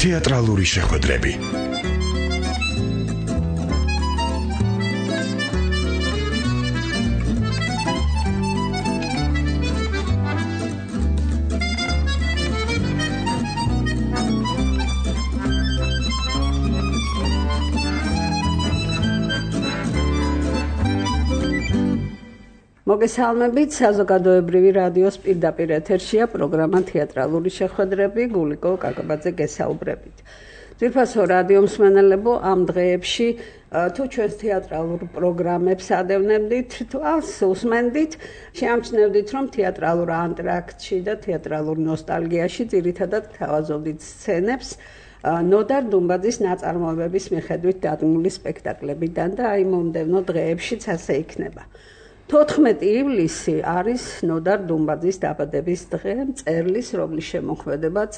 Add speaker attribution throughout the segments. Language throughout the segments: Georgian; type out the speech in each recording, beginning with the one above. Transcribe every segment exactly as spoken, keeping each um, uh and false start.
Speaker 1: თეატრალური შეხვედრები.
Speaker 2: მოგესალმებით, საზოგადოებრივი რადიოს პირდაპირ ეთერშია პროგრამა თეატრალური შეხვედრები, გულიკო კაკაბაძე გესაუბრებით. ძვირფასო რადიო მსმენელებო, ამ დღეებში თუ ჩვენს თეატრალურ პროგრამებს ადევნებდით, თუ ალს უსმენდით, შეამჩნევდით, რომ თეატრალურ ანტრაქტში და თეატრალურ ნოსტალგიაში ძირითადად გთავაზობდით სცენებს ნოდარ დუმბაძის ნაწარმოებების მიხედვით დადგმული სპექტაკლებიდან და აი მომდევნო დღეებშიც ასე იქნება. თოთხმეტი ივლისი არის ნოდარ დუმბაძის დაბადების დღე, მწერლის, რომლის შემოქმედებაც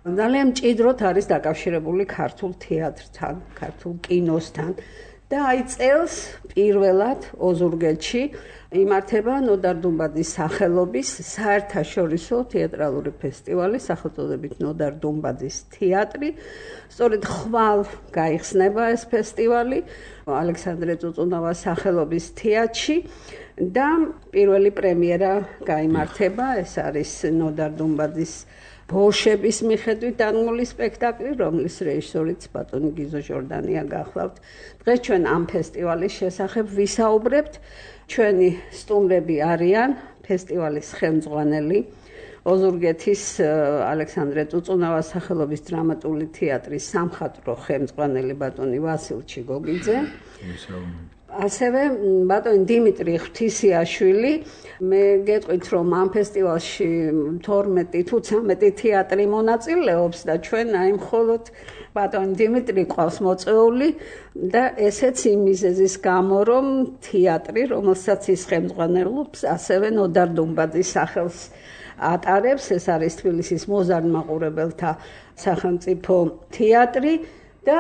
Speaker 2: ძალიან მჭიდროდ არის დაკავშირებული ქართულ თეატრთან, ქართულ კინოსთან და აი წელს პირველად ოზურგეთში იმართება ნოდარ დუმბაძის სახელობის საერთაშორისო თეატრალური ფესტივალი სახელწოდებით ნოდარ დუმბაძის თეატრი. სწორედ ხვალ გაიხსნება ეს ფესტივალი ალექსანდრე წუწუნავას სახელობის თეატრში და პირველი პრემიერა გაიმართება, ეს არის ნოდარ დუმბაძის ბოშების მიხედვით დადგმული სპექტაკლი, რომლის რეჟისორიც ბატონი გიზო ჟორდანია გახლავთ. დღეს ჩვენ ამ ფესტივალის შესახებ ვისაუბრებთ. ჩვენი სტუმრები არიან ფესტივალის ხელმძღვანელი, ოზურგეთის ალექსანდრე წუწუნავას სახელობის დრამატული თეატრის სამხატვრო ხელმძღვანელი ბატონი ვასილ ჩიგოგიძე. ასევე ბატონი დიმიტრი ღვთისიაშვილი. მე გეტყვით, რომ ამ ფესტივალში თორმეტი თუ ცამეტი თეატრი მონაწილეობს და ჩვენ აი მხოლოდ ბატონი დიმიტრი ყავს მოწვეული და ესეც იმ მიზეზის გამო, რომ თეატრი, რომელსაც ის ხელმძღვანელობს, ასევე ნოდარ დუმბაძის სახელს ატარებს, ეს არის თბილისის მოზარდ-მაყურებელთა სახელმწიფო თეატრი და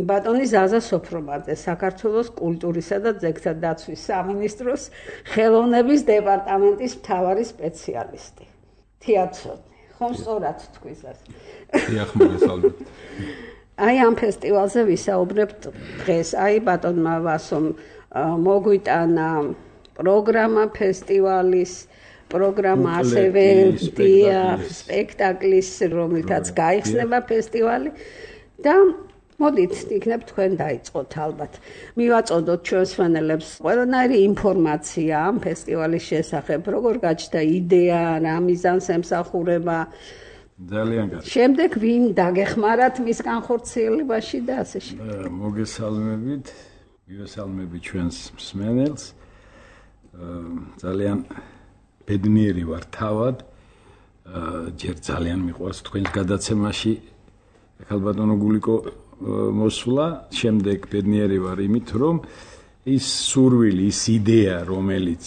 Speaker 2: ბატონი ზაზა სოფრობაძე, საქართველოს კულტურისა და ძეგლთა დაცვის სამინისტროს ხელოვნების დეპარტამენტის მთავარი სპეციალისტი. თეატრსოდნი, ხომ სწორად თქვის ასე?
Speaker 3: დიახ, მოგესალმებით.
Speaker 2: აი ამ ფესტივალზე ვისაუბრებთ დღეს. აი ბატონმა ვასომ მოგვიტანა პროგრამა ფესტივალის, პროგრამა ასევე სპექტაკლის, რომლითაც გაიხსნება ფესტივალი და მოდით, იქნებ თქვენ დაიწყოთ ალბათ. მივაწოდოთ ჩვენს მსმენელებს ყველანაირი ინფორმაცია ამ ფესტივალის შესახებ, როგორ გაჩნდა იდეა, რა მიზანს ემსახურება.
Speaker 3: ძალიან კარგი.
Speaker 2: შემდეგ ვინ დაგეხმარათ მის განხორციელებაში და ასე შემდეგ.
Speaker 3: მოგესალმებით, მივესალმები ჩვენს მსმენელს. ძალიან ბედნიერი ვარ თავად. ჯერ ძალიან მიყვარს თქვენს გადაცემაში ხალბატონო გულიკო მოსვლა, შემდეგ ბედნიერი ვარ იმით, რომ ის სურვილი, ის იდეა, რომელიც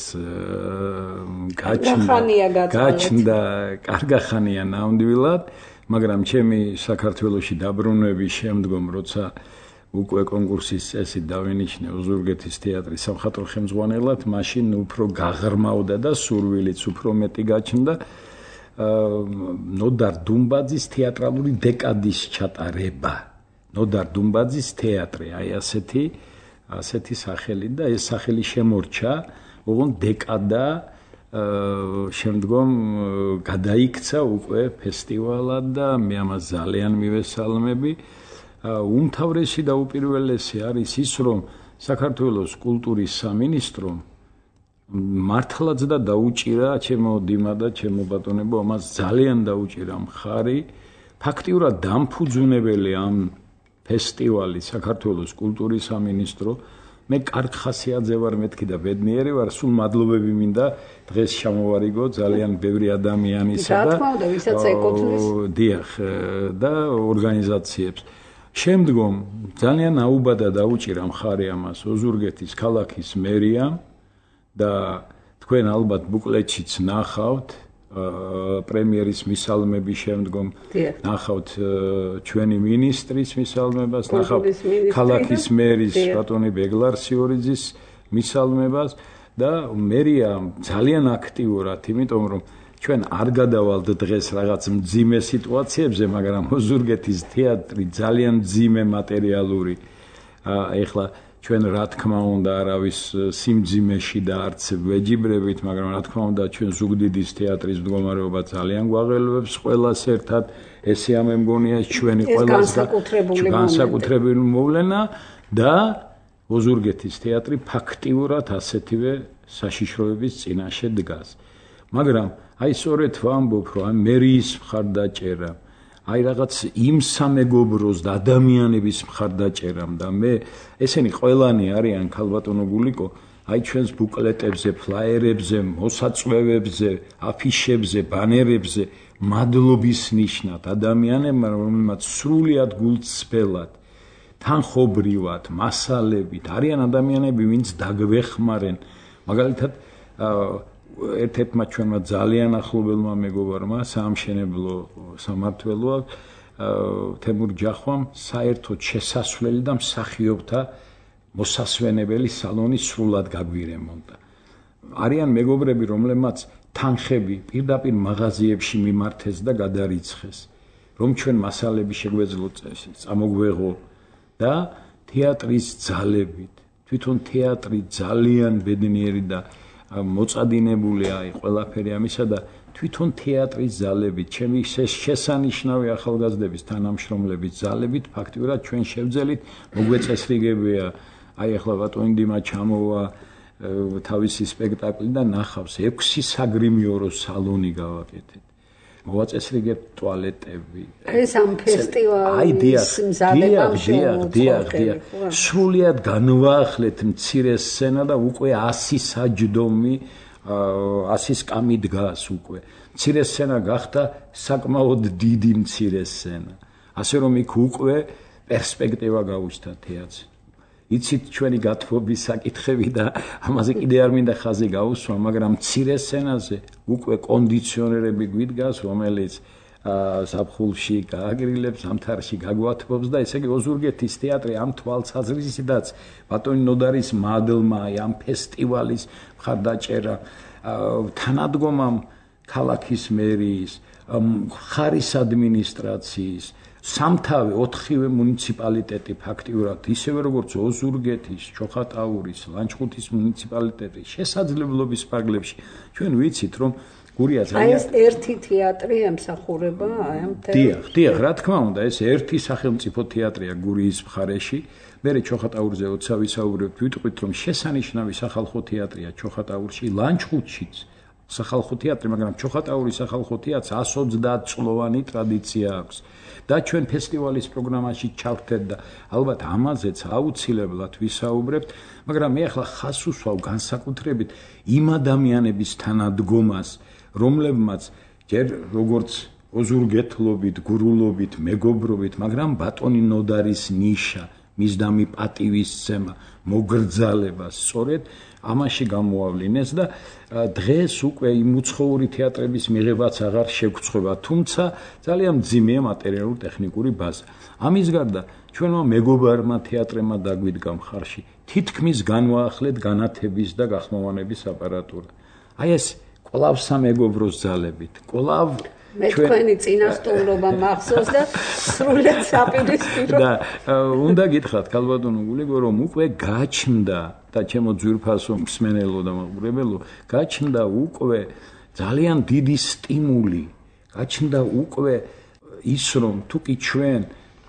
Speaker 3: გაჩნდა, კარგახანია ნამდვილად, მაგრამ ჩემი საქართველოში დაბრუნების შემდგომ, როცა უკვე კონკურსის წესით დავინიშნე ოზურგეთის თეატრის სამხატვრო ხელმძღვანელად, მაშინ უფრო გაღრმავდა და სურვილიც უფრო მეტი გაჩნდა ნოდარ დუმბაძის თეატრალური დეკადის ჩატარება. ნოდარ დუმბაძის თეატრი, აი ასეთი, ასეთი სახელი და ეს სახელი შემორჩა, ოღონდ დეკადა შემდგომ გადაიქცა უკვე ფესტივალად და მე ამას ძალიან მივესალმები. უმთავრესი და უპირველესი არის ის, რომ საქართველოს კულტურის სამინისტრომ მართლაც და დაუჭირა ჩემო დიმა და ჩემო ბატონებო, ამას ძალიან დაუჭირა მხარი. ფაქტიურად დამფუძუნებელი ამ ფესტივალი საქართველოს კულტურის სამინისტრო. მე კარგ ხასიათზე ვარ მეთქი და ბედნიერი ვარ, სულ მადლობები მინდა დღეს ჩამოვარიგო ძალიან ბევრი ადამიანისა და
Speaker 2: ვისაც ეკუთვნის
Speaker 3: დიახ და ორგანიზაციებს. შემდგომ ძალიან აუბადა დაუჭირა მხარი ამას ოზურგეთის ქალაქის მერიამ და თქვენ ალბათ ბუკლეტშიც ნახავთ პრემიერის მისალმების შემდგომ ნახავთ ჩვენი მინისტრის მისალმებას, ნახავთ ქალაქის მერის ბატონი ბეგლარსიორიძის მისალმებას და მერია ძალიან აქტიურად, იმიტომ რომ ჩვენ არ გადავალთ დღეს რაღაც მძიმე სიტუაციებზე, მაგრამ ოზურგეთის თეატრი ძალიან მძიმე მატერიალური ეხლა ჩვენ რა თქმა უნდა არავის სიმძიმეში და არც ვეჯიბრებით, მაგრამ რა თქმა უნდა ჩვენ ზუგდიდის თეატრის მდგომარეობა ძალიან გვაღელვებს ყველას ერთად. ესე ამ მგონია ჩვენი ყველას განსაკუთრებული მოვლენა და ოზურგეთის თეატრი ფაქტიურად ასეთივე საშიშროების წინაშე დგას. მაგრამ აი სწორედ ვამბობ, რომ აი მერიის მხარდაჭერა, აი რაღაც იმ სამეგობროს და ადამიანების მხარდაჭერამ და მე ესენი ყველანი არიან ქალბატონო გულიკო, აი ჩვენს ბუკლეტებზე, ფლაიერებზე, მოსაწვევებზე, აფიშებზე, ბანერებზე მადლობის ნიშნად ადამიანებმა, რომელმაც სრულად გულწრფელად, თანხობრივად, მასალებით არიან ადამიანები, ვინც დაგვეხმარენ. მაგალითად ერთ-ერთმა ჩვენმა ძალიან ახლობელმა მეგობარმა საამშენებლო სამმართველოა თემურ ჯახვამ საერთოდ შესასვლელი და მსახიობთა მოსასვენებელი სალონი სრულად გაგვირემონტა. არიან მეგობრები, რომლებმაც თანხები პირდაპირ მაღაზიებში მიმართეს და გადარიცხეს, რომ ჩვენ მასალები შეგვეძლოთ წამოგვეღო და თეატრის ძალებით. თვითონ თეატრი ძალიან ბედნიერი და მოწადინებულია აი ყველაფერი ამისა და თვითონ თეატრის ძალებით, ჩემი შესანიშნავი ახალგაზრდების თანამშრომლების ძალებით ფაქტიურად ჩვენ შევძელით მოგვეწესრიგებია. აი ახლა ბატონი დიმა ჩამოვა თავისი სპექტაკლი და ნახავს ექვსი საგრიმიორო სალონი გავაკეთეთ. მოვაწესრიგებთ ტუალეტები.
Speaker 2: ეს ამ ფესტივალის მზადებამ
Speaker 3: შეუწყო. სრულად განვაახლეთ მცირე სცენა და უკვე ასი საჯდომი, ასი სკამი დგას უკვე. მცირე სცენა გახდა საკმაოდ დიდი მცირე სცენა. ასე რომ იქ უკვე პერსპექტივა გაუჩნდა თეატრს. იცით ჩვენი გათბობის საკითხები და ამაზე კიდე არ მინდა ხაზი გაუსვა, მაგრამ მცირე სცენაზე უკვე კონდიციონერები გვიდგას, რომელიც ზაფხულში გააგრილებს, ზამთარში გაგვათბობს და ესე იგი ოზურგეთის თეატრი ამ თვალსაზრისითაც ბატონი ნოდარის მადლმა, ამ ფესტივალის მხარდაჭერა, თანადგომამ ქალაქის მერიის, ხარის ადმინისტრაციის, სამთავე ოთხივე მუნიციპალიტეტი ფაქტიურად ისევე როგორც ოზურგეთის, ჩოხატაურის, ლანჩხუთის მუნიციპალიტეტი შესაძლებლობის ფარგლებში ჩვენ ვიცით რომ გურია ძალიან
Speaker 2: აი ეს ერთი თეატრი ემსახურება აი ამ თეატრს.
Speaker 3: დიახ, დიახ, რა თქმა უნდა, ეს ერთი სახელმწიფო თეატრია გურიის მხარეში. მე ჩოხატაურზე როცა ვისაუბრებთ, ვიტყვით რომ შესანიშნავი სახალხო თეატრია ჩოხატაურში, ლანჩხუთშიც სახალხო თეატრი, მაგრამ ჩოხატაურის სახალხო თეატრს ას ოცდაათ წლოვანი ტრადიცია აქვს. და ჩვენ ფესტივალის პროგრამაში ჩავთეთ და ალბათ ამაზეც აუცილებლად ვისაუბრებთ, მაგრამ მე ახლა ხას უსვავ განსაკუთრებით იმ ადამიანების თანადგომას, რომლებმაც ჯერ როგორც ოზურგეთლობით, გურულობით, მეგობრობით, მაგრამ ბატონი ნოდარის ნიშა, მისდამი პატივისცემა, მოგრძალება სწორედ ამაში გამოავლინეს და დღეს უკვე იმ უცხოური თეატრების მიღებაც აღარ შეგვწყვება, თუმცა ძალიან მძიმეა მატერიალურ-ტექნიკური ბაზა. ამის გარდა ჩვენმა მეგობარმა თეატრებმა დაგვიდგა მხარში თითქმის განვაახლეთ განათების და გახმოვანების აპარატურა. აი ეს კვლავ სამეგობროს ძალებით, კვლავ
Speaker 2: მე თქვენი წინასწორობა მახსოვს და სრულად საპირისპირო
Speaker 3: და უნდა გითხრათ ქალბატონო გულიკო რომ უკვე გაჩნდა და ჩემო ძვირფასო მსმენელო და მაყურებელო გაჩნდა უკვე ძალიან დიდი სტიმული, გაჩნდა უკვე ის რომ თუკი ჩვენ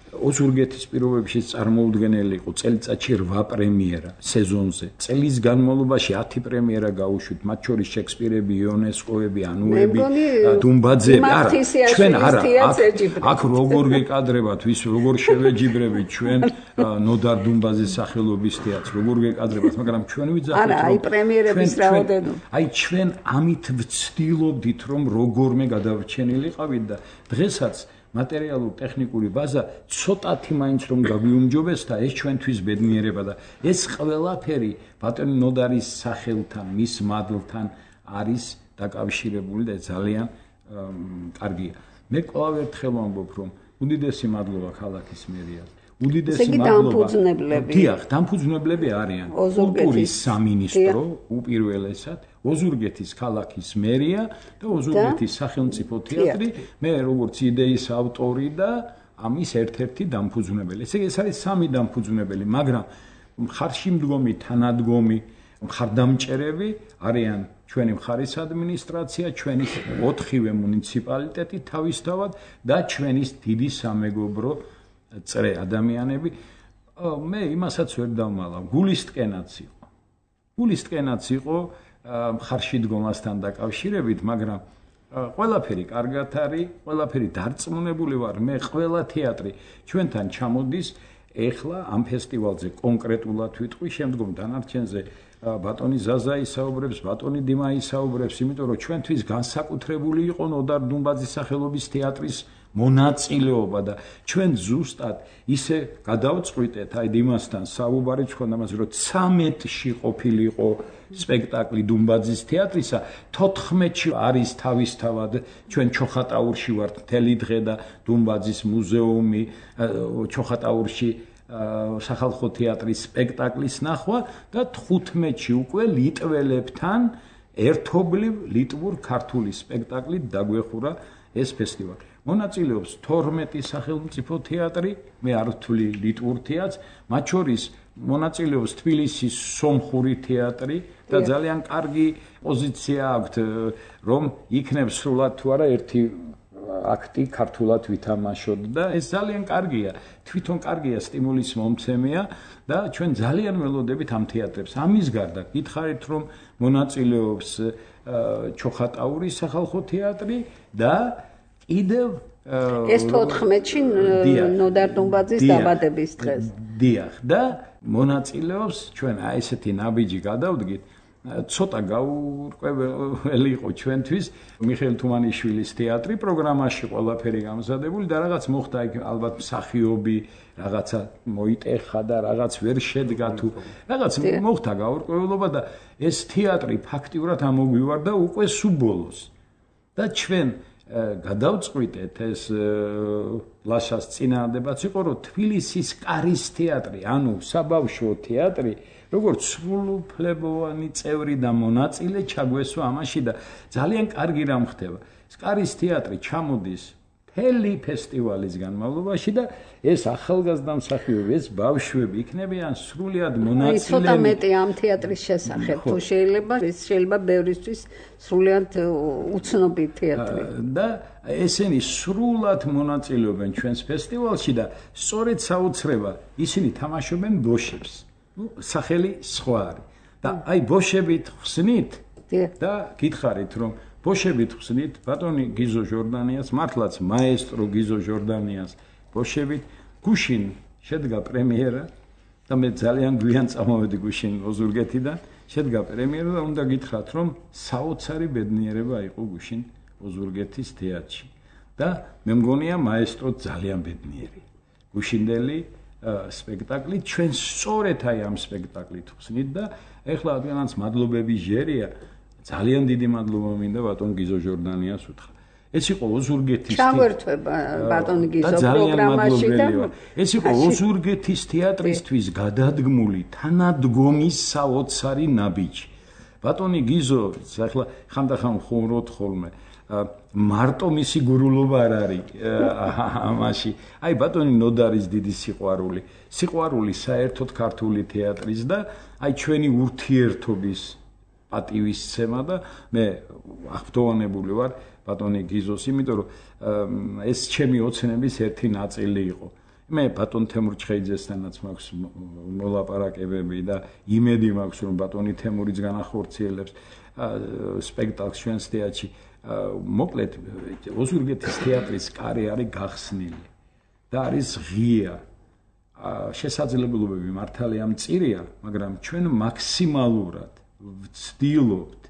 Speaker 3: ოზურგეთის პირობებში წარმოუდგენელი იყო წელიწადში რვა პრემიერა სეზონზე. წელის განმავლობაში ათი პრემიერა გაუშვით, მათ შორის შექსპირები, იონესკოები, ანუები, დუმბაძეები. არა, ჩვენ არა. აქ როგორ გეკადრებათ, ვის როგორ შევეჯიბრებით ჩვენ ნოდარ დუმბაძის სახელობის თეატრს, როგორ გეკადრებათ, მაგრამ ჩვენ ვიძახით,
Speaker 2: რომ არა, აი პრემიერების რაოდენობა.
Speaker 3: აი ჩვენ ამით ვცდილობდით, რომ როგორმე გადავრჩენილიყავით და დღესაც მატერიალურ-ტექნიკური ბაზა ცოტათი მაინც რომ გაგვიუმჯობეს და ეს ჩვენთვის ბედნიერება და ეს ყველაფერი ბატონი ნოდარის სახელთან, მის მადლთან არის დაკავშირებული და ძალიან კარგია. მე კვლავ ერთხელ ვამბობ, რომ უდიდესი მადლობა ქალაქის მერიას. უდიდესი მადლობა. დიახ, დამფუძნებლები არიან კულტურის სამინისტრო უპირველესად, ოზურგეთის ქალაქის მერია და ოზურგეთის სახელმწიფო თეატრი, მე როგორც იდეის ავტორი და ამის ერთ-ერთი დამფუძნებელი. ესე იგი, ეს არის სამი დამფუძნებელი, მაგრამ მხარში მდგომი თანადგომი მხარდამჭერები არიან ჩვენი მხარის ადმინისტრაცია, ჩვენი ოთხივე მუნიციპალიტეტი თავისთავად და ჩვენი დიდი სამეგობრო წრე ადამიანები. მე იმასაც ვერ დავმალავ, გულისტკენაც იყო. გულისტკენაც იყო მხარში დგომასთან დაკავშირებით, მაგრამ ყველაფერი კარგად არის, ყველაფერი დარწმუნებული ვარ, მე ყველა თეატრი ჩვენთან ჩამოდის. ეხლა ამ ფესტივალზე კონკრეტულად ვიტყვი, შემდგომ დანარჩენზე ბატონი ზაზა ისაუბრებს, ბატონი დიმა ისაუბრებს, იმიტომ რომ ჩვენთვის განსაკუთრებული იყო ნოდარ დუმბაძის სახელობის თეატრის მონაწილეობა და ჩვენ ზუსტად ისე გადავწყვიტეთ, აი დიმასთან საუბარი თქვა ამაზე, რომ ცამეტში ყოფილიყო სპექტაკლი დუმბაძის თეატრისა, თოთხმეტში არის თავისთავად ჩვენ ჩოხატაურში ვართ მთელი დღე და დუმბაძის მუზეუმი ჩოხატაურში სახალხო თეატრის სპექტაკლის ნახვა და თხუთმეტში უკვე ლიტველებთან ერთობლივ ლიტვურ-ქართული სპექტაკლით დაგვეხურა ეს ფესტივალი. მონაწილეობს თორმეტი სახელმწიფო თეატრი, მე არ ვთვლი ლიტვურ თეატრს, მათ შორის მონაწილეობს თბილისის სომხური თეატრი და ძალიან კარგი პოზიცია აქვთ, რომ იქნებ სრულად თუ არა ერთი აქტი ქართულად ვითამაშოთ და ეს ძალიან კარგია, თვითონ კარგია, სტიმულის მომცემია და ჩვენ ძალიან ველოდებით ამ თეატრებს. ამის გარდა გითხარით, რომ მონაწილეობს ჩოხატაურის სახალხო თეატრი და კიდევ
Speaker 2: ეს თოთხმეტში ნოდარ დუმბაძის დაბადების დღეს.
Speaker 3: დიახ, და მონაწილეობს ჩვენ აი ესეთი ნაბიჯი გადავდგით, ცოტა გაურკვეველი იყო ჩვენთვის მიხეილ თუმანიშვილის თეატრი, პროგრამაში ყველაფერი გამზადებული და რაღაც მოხდა იქ ალბათ მსახიობი, რაღაცა მოიტეხა და რაღაც ვერ შედგა თუ რაღაც მოხდა გაურკვევლობა და ეს თეატრი ფაქტიურად ამოგვივარდა უკვე სუბოლოს. და ჩვენ გადავწყვიტეთ ეს ლაშას წინააღმდეგაც იყო, რომ თბილისის კარის თეატრი, ანუ საბავშვო თეატრი, როგორც სრულუფლებოვანი წევრი და მონაწილე ჩაგვესვა ამაში და ძალიან კარგი რამ ხდება. კარის თეატრი ჩამოდის მთელი ფესტივალის განმავლობაში და ეს ახალგაზრდა მსახიობები, ეს ბავშვები იქნებიან სრულიად მონაწილეები.
Speaker 2: ცოტა მეტი ამ თეატრის შესახებ, თუ შეიძლება, ეს შეიძლება ბევრისთვის სრულიად უცნობი თეატრი.
Speaker 3: და ესენი სრულად მონაწილეობენ ჩვენს ფესტივალში და სწორედ საოცრება, ისინი თამაშობენ ბოშებს. სახელი სხვა არის. და აი ბოშებით ხსნით და გითხარით, რომ ბოშებით ხსნით ბატონი გიზო ჟორდანიას, მართლაც მაესტრო გიზო ჟორდანიას ბოშებით გუშინ შედგა პრემიერა და მე ძალიან გვიან წამოვედი გუშინ ოზურგეთიდან, შედგა პრემიერა და უნდა გითხრათ, რომ საოცარი ბედნიერება იყო გუშინ ოზურგეთის თეატრში და მე მგონია მაესტრო ძალიან ბედნიერი. გუშინდელი სპექტაკლი ჩვენ სწორედ აი ამ სპექტაკლით ხსნით და ეხლა რადგანაც მადლობები ჟერია, ძალიან დიდი მადლობა მინდა ბატონ გიზო ჟორდანიას უთხრა. ეს იყო ოზურგეთის
Speaker 2: ჩაგვერთვება ბატონ გიზო პროგრამაში და
Speaker 3: ეს იყო ოზურგეთის თეატრისთვის გადადგმული თანადგომის საოცარი ნაბიჯი. ბატონი გიზო, ახლა ხანდახან ხუმრობთ ხოლმე, მარტო მისი გურულობა არ არის ამაში. აი ბატონი ნოდარის დიდი სიყვარული, სიყვარული საერთოდ ქართული თეატრის და აი ჩვენი ურთიერთობის პატივისცემა და მე აღფრთოვანებული ვარ ბატონი გიზოს, იმიტომ რომ ეს ჩემი ოცნების ერთი ნაწილი იყო. მე ბატონ თემურ ჩხეიძესთანაც მაქვს მოლაპარაკებები და იმედი მაქვს, რომ ბატონი თემურიც განახორციელებს სპექტაკლს ჩვენს თეატრში. მოკლედ ოზურგეთის თეატრის კარი არის გახსნილი და არის ღია. შესაძლებლობები მართალია მწირია, მაგრამ ჩვენ მაქსიმალურად ვცდილობთ,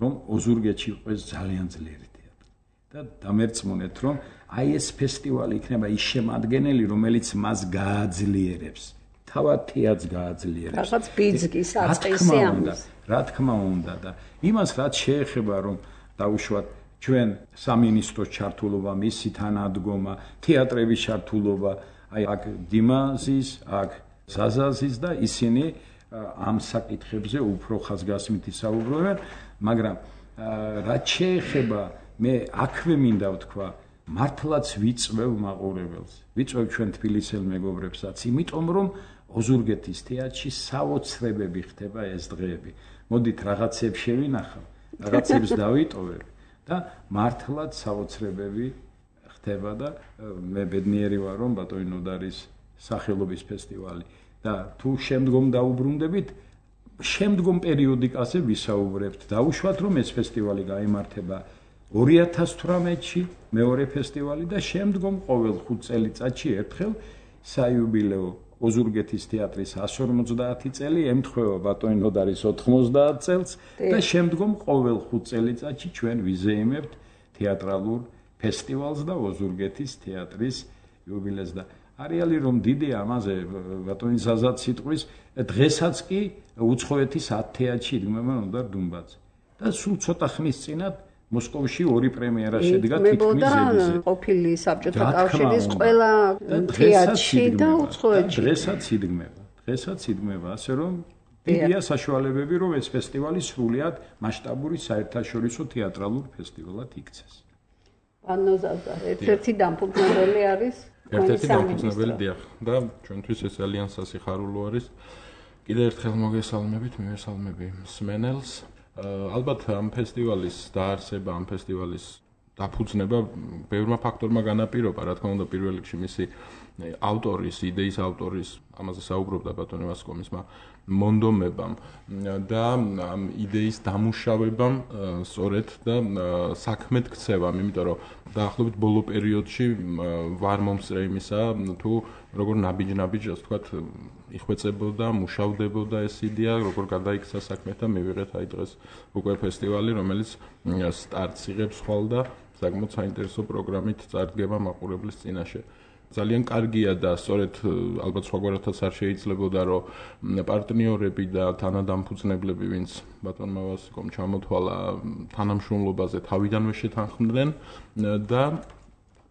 Speaker 3: რომ ოზურგეთში იყოს ძალიან ძლიერი თეატრი და დამერწმუნეთ, რომ აი ეს ფესტივალი იქნება ის შემადგენელი, რომელიც მას გააძლიერებს, თავად თეატრს გააძლიერებს.
Speaker 2: რაღაც ბიძგის აწყისი ამის.
Speaker 3: რა თქმა უნდა და იმას რაც შეეხება, რომ დაუშვათ ჩვენ სამინისტროს ჩართულობა, მისი თანადგომა, თეატრების ჩართულობა, აი აქ დიმაზის, აქ ზაზაზის და ისინი ამ საკითხებზე უფრო ხაზგასმით ისაუბრებენ, მაგრამ რაც შეეხება მე აქვე მინდა ვთქვა, მართლაც ვიწვევ მაყურებელს, ვიწვევ ჩვენ თბილისელ მეგობრებსაც, იმიტომ რომ ოზურგეთის თეატრში საოცრებები ხდება ეს დღეები. მოდით რაღაცებს შევინახავ, რაღაცებს დავიტოვებ და მართლაც საოცრებები ხდება და მე ბედნიერი ვარ რომ ბატონი ნოდარის სახელობის ფესტივალი და თუ შემდგომ დაუბრუნდებით შემდგომ პერიოდიკაზე ვისაუბრებთ. დაუშვათ რომ ეს ფესტივალი გაიმართება ორი ათას თვრამეტში მეორე ფესტივალი და შემდგომ ყოველ ხუთ წელიწადში ერთხელ საიუბილეო ოზურგეთის თეატრის εκατს ორმოცდაათი წელი ემთხვევა ბატონი ნოდარის ოთხმოცდაათ წელს და შემდგომ ყოველ ხუთ წელიწადში ჩვენ ვიზეიმებთ თეატრალურ ფესტივალს და ოზურგეთის თეატრის იუბილეს და არეალი რომ დიდია ამაზე ბატონი ზაზად სიტყვის დღესაც კი უცხოეთის ათ თეატრში იდგმება ნოდარ დუმბაძე და სულ ცოტა ხნის წინათ მოსკოვში ორი პრემიერა შედგა თითქმის ზედიზედ. ყოფილი საბჭოთა კავშირის ყველა თეატრში და უცხოეთში. დღესაც იდგმება. დღესაც იდგმება, ასე რომ დიდია საშუალებები, რომ ეს ფესტივალი სრულიად მასშტაბური საერთაშორისო თეატრალურ ფესტივალად იქცეს.
Speaker 2: ანუ ერთ-ერთი დამფუძნებელი არის
Speaker 4: ერთ-ერთი დამფუძნებელი დიახ და ჩვენთვის ეს ძალიან სასიხარულო არის. კიდევ ერთხელ მოგესალმებით, მივესალმები მსმენელს. ალბათ ამ ფესტივალის დაარსება, ამ ფესტივალის დაფუძნება ბევრმა ფაქტორმა განაპირობა, რა თქმა უნდა, პირველ რიგში მისი ავტორის, იდეის ავტორის, ამაზე საუბრობდა ბატონი ვასკომისმა, მონდომებამ და ამ იდეის დამუშავებამ სწორედ და საქმედ ქცევამ, იმიტომ რომ დაახლოებით ბოლო პერიოდში ვარ მომსწრე იმისა, თუ როგორ ნაბიჯ-ნაბიჯ, ასე ვთქვათ, იხვეწებოდა, მუშავდებოდა ეს იდეა, როგორ გადაიქცა საქმე და მივიღეთ აი დღეს უკვე ფესტივალი, რომელიც სტარტს იღებს ხვალ და საკმაოდ საინტერესო პროგრამით წარდგება მაყურებლის წინაშე. ძალიან კარგია და სწორედ ალბათ სხვაგვარადაც არ შეიძლებოდა რომ პარტნიორები და თანადამფუძნებლები, ვინც ბატონმა ვასკომ ჩამოთვალა თანამშრომლობაზე თავიდანვე შეთანხმდნენ და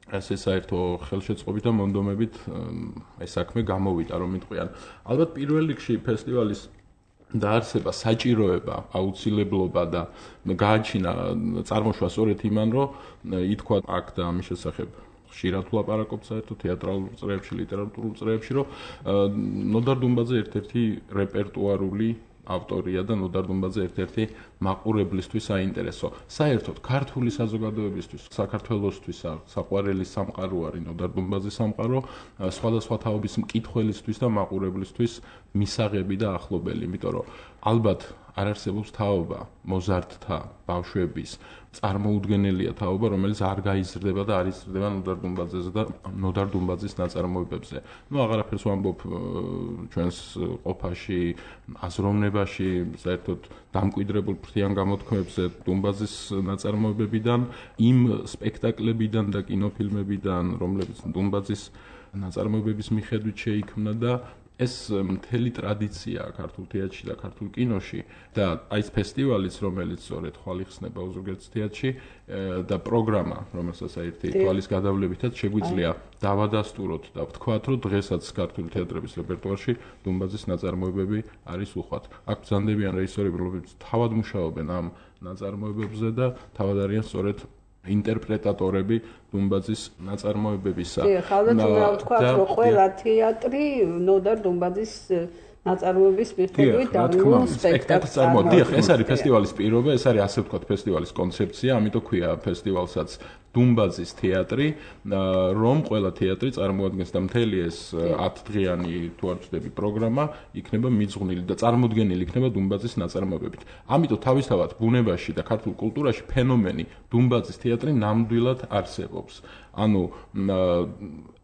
Speaker 4: ესე საერთო ხელშეწყობით და მონდომებით ეს საქმე გამოვიდა, რომ იტყვიან. ალბათ პირველ რიგში ფესტივალის დაარსება საჭიროება, აუცილებლობა და გააჩინა წარმოშვა სწორედ იმან, რომ ითქვა აქ და ამის შესახებ ხშირად ვლაპარაკობთ საერთო თეატრალურ წრეებში, ლიტერატურულ წრეებში, რომ ნოდარ დუმბაძე ერთ-ერთი რეპერტუარული ავტორია და ნოდარ დუმბაძე ერთ-ერთი მაყურებლისთვის საინტერესო. საერთოდ ქართული საზოგადოებისთვის, საქართველოსთვის საყვარელი სამყარო არის ნოდარ დუმბაძის სამყარო, სხვადასხვა თაობის მკითხველისთვის და მაყურებლისთვის მისაღები და ახლობელი, იმიტომ რომ ალბათ არ არსებობს თაობა მოზარდთა, ბავშვების წარმოუდგენელია თაობა, რომელიც არ გაიზრდება და არ იზრდება ნოდარ დუმბაძეზე და ნოდარ დუმბაძის ნაწარმოებებზე. ნუ აღარაფერს ვამბობ ჩვენს ყოფაში, აზროვნებაში, საერთოდ დამკვიდრებულ ფრთიან გამოთქმებზე დუმბაძის ნაწარმოებებიდან, იმ სპექტაკლებიდან და კინოფილმებიდან, რომლებიც დუმბაძის ნაწარმოებების მიხედვით შეიქმნა და ეს მთელი ტრადიცია ქართულ თეატრში და ქართულ კინოში და აი ეს ფესტივალიც, რომელიც სწორედ ხვალ იხსნება ოზურგეთის თეატრში და პროგრამა, რომელსაც ერთი თვალის გადავლებითაც შეგვიძლია დავადასტუროთ და ვთქვათ, რომ დღესაც ქართული თეატრების რეპერტუარში დუმბაძის ნაწარმოებები არის უხვად. აქ ბრძანდებიან რეჟისორები, რომლებიც თავად მუშაობენ ამ ნაწარმოებებზე და თავად არიან სწორედ ინტერპრეტატორები დუმბაძის ნაწარმოებებისა.
Speaker 2: დიახ, ალბათ უნდა ვთქვათ, რომ ყველა თეატრი ნოდარ დუმბაძის ნაწარმოების მიხედვით და სპექტაკლს
Speaker 4: წარმოადგენს. დიახ, ეს არის ფესტივალის პირობა, ეს არის ასე ვთქვათ ფესტივალის კონცეფცია, ამიტომ ქვია ფესტივალსაც დუმბაძის თეატრი, რომ ყველა თეატრი წარმოადგენს და მთელი ეს ათდღიანი თუ არ ვწდები პროგრამა იქნება მიძღვნილი და წარმოდგენილი იქნება დუმბაძის ნაწარმოებებით. ამიტომ თავისთავად ბუნებაში და ქართულ კულტურაში ფენომენი დუმბაძის თეატრი ნამდვილად არსებობს. ანუ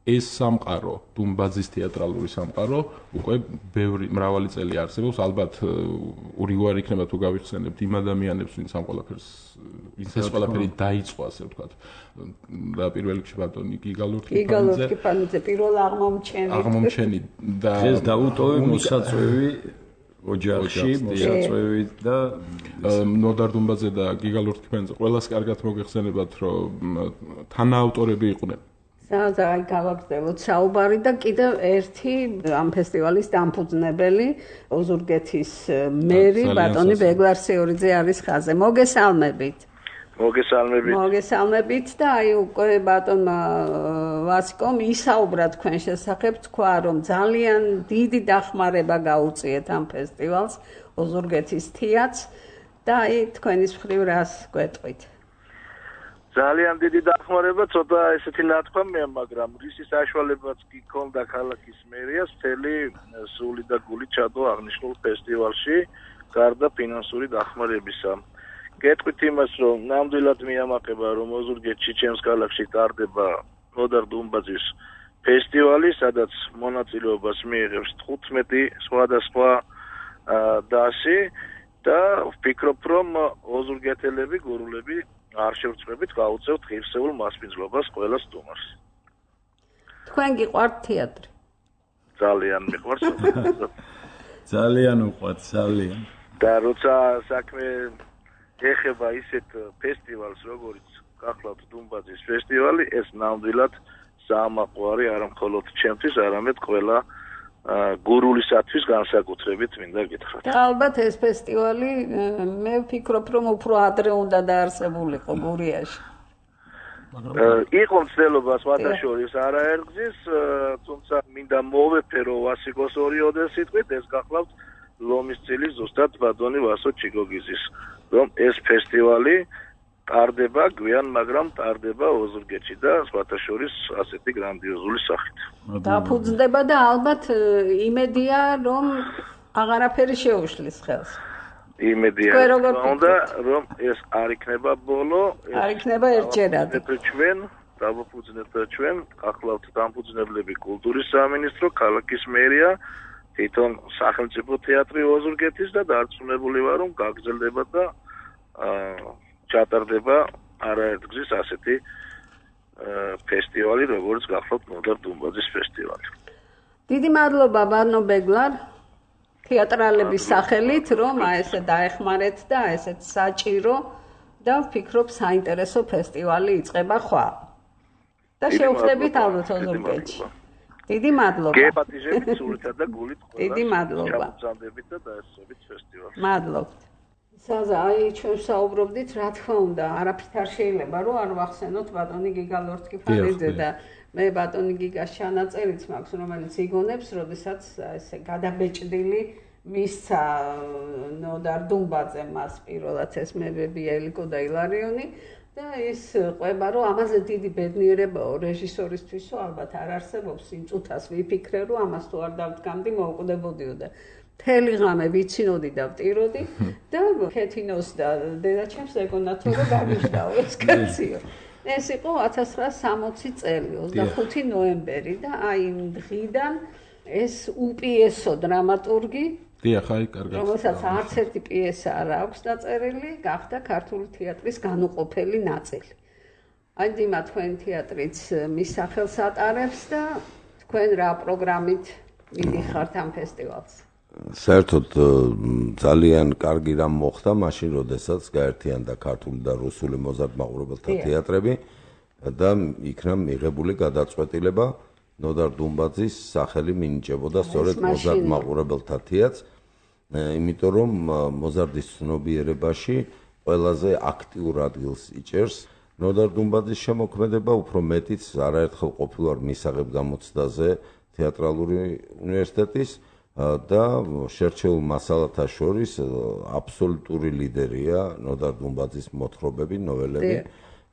Speaker 4: ეს სამყარო, დუმბაძის თეატრალური სამყარო, უკვე ბევრი მრავალი წელი არსებობს. ალბათ ურიგوار იქნება თუ გავიხსენებთ იმ ადამიანებს, ვინც ამ ყველაფერს, ვინც ეს ყველაფერი დაიწყო, ასე ვთქვათ. და პირველ რიგში ბატონი გიგალურთი
Speaker 2: ფანიძე, პირველ აღმომჩენი.
Speaker 4: აღმომჩენი და
Speaker 3: ეს დაუტოვე მოსაწვევი ოჯახში მოსაწვევით და
Speaker 4: ნოდარ დუმბაძე და გიგა ლურთქიფანიძე ყველას კარგად მოგეხსენებათ, რომ თანაავტორები იყვნენ.
Speaker 2: ზაი გავაგრძელოთ საუბარი და კიდევ ერთი ამ ფესტივალის დამფუძნებელი ოზურგეთის მერი ბატონი ბეგლარ სიორიძე არის ხაზე. მოგესალმებით.
Speaker 5: მოგესალმებით.
Speaker 2: მოგესალმებით და აი უკვე ბატონმა ვასიკომ ისაუბრა თქვენ შესახებ, თქვა რომ ძალიან დიდი დახმარება გაუწიეთ ამ ფესტივალს ოზურგეთის თეატრს და აი თქვენის მხრივ რას გვეტყვით?
Speaker 5: ძალიან დიდი დახმარება, ცოტა ესეთი ნათქვამია, მაგრამ რისი საშუალებაც კი ქონდა ქალაქის მერიას მთელი სული და გული ჩადო აღნიშნულ ფესტივალში, გარდა ფინანსური დახმარებისა. გეტყვით იმას, რომ ნამდვილად მიამაყება, რომ ოზურგეთში ჩემს ქალაქში ტარდება ნოდარ დუმბაძის ფესტივალი, სადაც მონაწილეობას მიიღებს თხუთმეტი სხვადასხვა დასი და ვფიქრობ, რომ ოზურგეთელები, გურულები არ შევწყვებით გავუწევთ ღირსეულ მასპინძლობას ყველა სტუმარს.
Speaker 2: თქვენ გიყვართ თეატრი?
Speaker 5: ძალიან მიყვარს.
Speaker 3: ძალიან უყვართ, ძალიან.
Speaker 5: და როცა საქმე ეხება ისეთ ფესტივალს, როგორც გახლავთ დუმბაძის ფესტივალი, ეს ნამდვილად საამაყო არის არა მხოლოდ ჩემთვის, არამედ ყველა გურულისათვის განსაკუთრებით მინდა გითხრათ.
Speaker 2: და ალბათ ეს ფესტივალი მე ვფიქრობ, რომ უფრო ადრე უნდა დაარსებულიყო გურიაში.
Speaker 5: იყო მცდელობა სხვათა შორის არაერთგზის, თუმცა მინდა მოვეფერო ვასიკოს ორიოდე სიტყვით, ეს გახლავთ ლომის წილი ზუსტად ბატონი ვასო ჩიგოგიზის, რომ ეს ფესტივალი ტარდება გვიან, მაგრამ ტარდება ოზურგეთში და სხვათა შორის ასეთი გრანდიოზული სახით.
Speaker 2: დაფუძნდება და ალბათ იმედია, რომ აღარაფერი შეუშლის ხელს.
Speaker 5: იმედია უნდა, რომ ეს არ იქნება ბოლო,
Speaker 2: არ იქნება ერთჯერად.
Speaker 5: ჩვენ დავაფუძნებთ ჩვენ, ახლავთ დამფუძნებლები კულტურის სამინისტრო, ქალაქის მერია, თვითონ სახელმწიფო თეატრი ოზურგეთის და დარწმუნებული ვარ, რომ გაგრძელდება და ჩატარდება არაერთგზის ასეთი ფესტივალი, როგორც გახლავთ ნოდარ დუმბაძის ფესტივალი.
Speaker 2: დიდი მადლობა ბატონო ბეგლარ თეატრალების სახელით, რომ ესე დაეხმარეთ და ესეთ საჭირო და ვფიქრობ საინტერესო ფესტივალი იწყება ხვალ. და შევხვდებით ალბათ ოზურგეთში. დიდი მადლობა.
Speaker 5: გეპატიჟებით სულითა და გულით ყველა.
Speaker 2: დიდი მადლობა.
Speaker 5: ჩამოწამდებით და დაესწრებით ფესტივალს.
Speaker 2: მადლობთ. საზა, აი ჩვენ საუბრობდით, რა თქმა უნდა, არაფრით არ შეიძლება, რომ არ ვახსენოთ ბატონი გიგა ლურთქიფანიძე და მე ბატონი გიგას ჩანაწერიც მაქვს, რომელიც იგონებს, როდესაც ესე გადაბეჭდილი მისცა ნოდარ დუმბაძემ მას პირველად ეს მებები ელიკო და ილარიონი და ის ყვება, რომ ამაზე დიდი ბედნიერებაო რეჟისორისთვისო ალბათ არ არსებობს, იმ წუთას ვიფიქრე, რომ ამას თუ არ დავდგამდი, მოუკვდებოდიო და მთელი ღამე ვიცინოდი და ვტიროდი და ქეთინოს და დედაჩემს ეგონათო რომ გამიშდაო ეს კაციო. ეს იყო ათას ცხრაასი სამოცი წელი, ოცდახუთი ნოემბერი და აი იმ დღიდან ეს უპიესო დრამატურგი,
Speaker 4: დიახ, აი კარგად.
Speaker 2: რომელსაც არც ერთი პიესა არ აქვს დაწერილი, გახდა ქართული თეატრის განუყოფელი ნაწილი. აი დიმა თქვენ თეატრიც მის სახელს ატარებს და თქვენ რა პროგრამით მიდიხართ ამ ფესტივალს?
Speaker 6: საერთოდ ძალიან კარგი რამ მოხდა მაშინ, როდესაც გაერთიანდა ქართული და რუსული მოზარდ-მაყურებელთა თეატრები და იქნა მიღებული გადაწყვეტილება ნოდარ დუმბაძის სახელი მინიჭებოდა სწორედ მოზარდ-მაყურებელთა თეატრს, იმიტომ რომ მოზარდის ცნობიერებაში ყველაზე აქტიურ ადგილს იჭერს ნოდარ დუმბაძის შემოქმედება, უფრო მეტიც არაერთხელ ყოფილვარ მისაღებ გამოცდაზე თეატრალური უნივერსიტეტის და შერჩეულ მასალათა შორის აბსოლუტური ლიდერია ნოდარ დუმბაძის მოთხრობები, ნოველები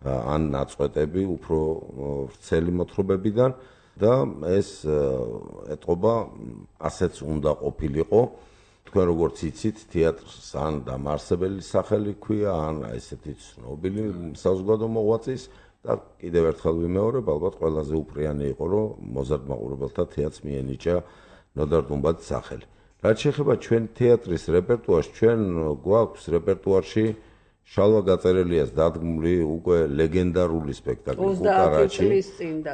Speaker 6: ან ნაწყვეტები უფრო ვრცელი მოთხრობებიდან და ეს ეტყობა ასეც უნდა ყოფილიყო. თქვენ როგორც იცით, თეატრს ან დამაარსებელი სახელი ჰქვია, ან ესეთი ცნობილი საზოგადო მოღვაწის და კიდევ ერთხელ ვიმეორებ, ალბათ ყველაზე უპრიანი იყო, რომ მოზარდ-მაყურებელთა თეატრს მიენიჭა ნოდარ დუმბაძის სახელი. რაც შეეხება ჩვენ თეატრის რეპერტუარს, ჩვენ გვაქვს რეპერტუარში შალვა გაწერელიას დადგმული უკვე ლეგენდარული სპექტაკლი კუკარაჩი.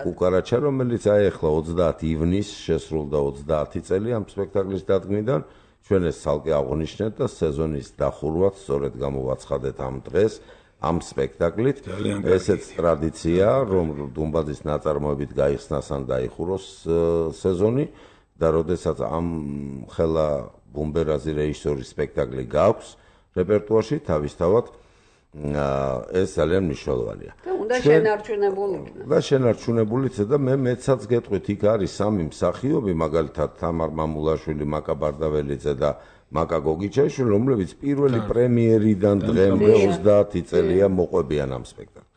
Speaker 6: კუკარაჩა, რომელიც აი ახლა ოცდაათი ივნისს შესრულდა ოცდაათი წელი ამ სპექტაკლის დადგმიდან. ჩვენ ეს ცალკე აღვნიშნეთ და სეზონის დახურვაც სწორედ გამოვაცხადეთ ამ დღეს ამ სპექტაკლით. ესეც ტრადიციაა, რომ დუმბაძის ნაწარმოებით გაიხსნას ან დაიხუროს სეზონი და როდესაც ამ ხელა ბუმბერაზი რეჟისორის სპექტაკლი გაქვს რეპერტუარში, თავისთავად ეს ძალიან მნიშვნელოვანია.
Speaker 2: და უნდა შენარჩუნებული იქნას.
Speaker 6: და შენარჩუნებულიც და მე მეცაც გეტყვით, იქ არის სამი მსახიობი, მაგალითად თამარ მამულაშვილი, მაკა ბარდაველიძე და მაკა გოგიჩაიშვილი, რომლებიც პირველი პრემიერიდან დღემდე ოცდაათი წელია მოყვებიან ამ სპექტაკლს.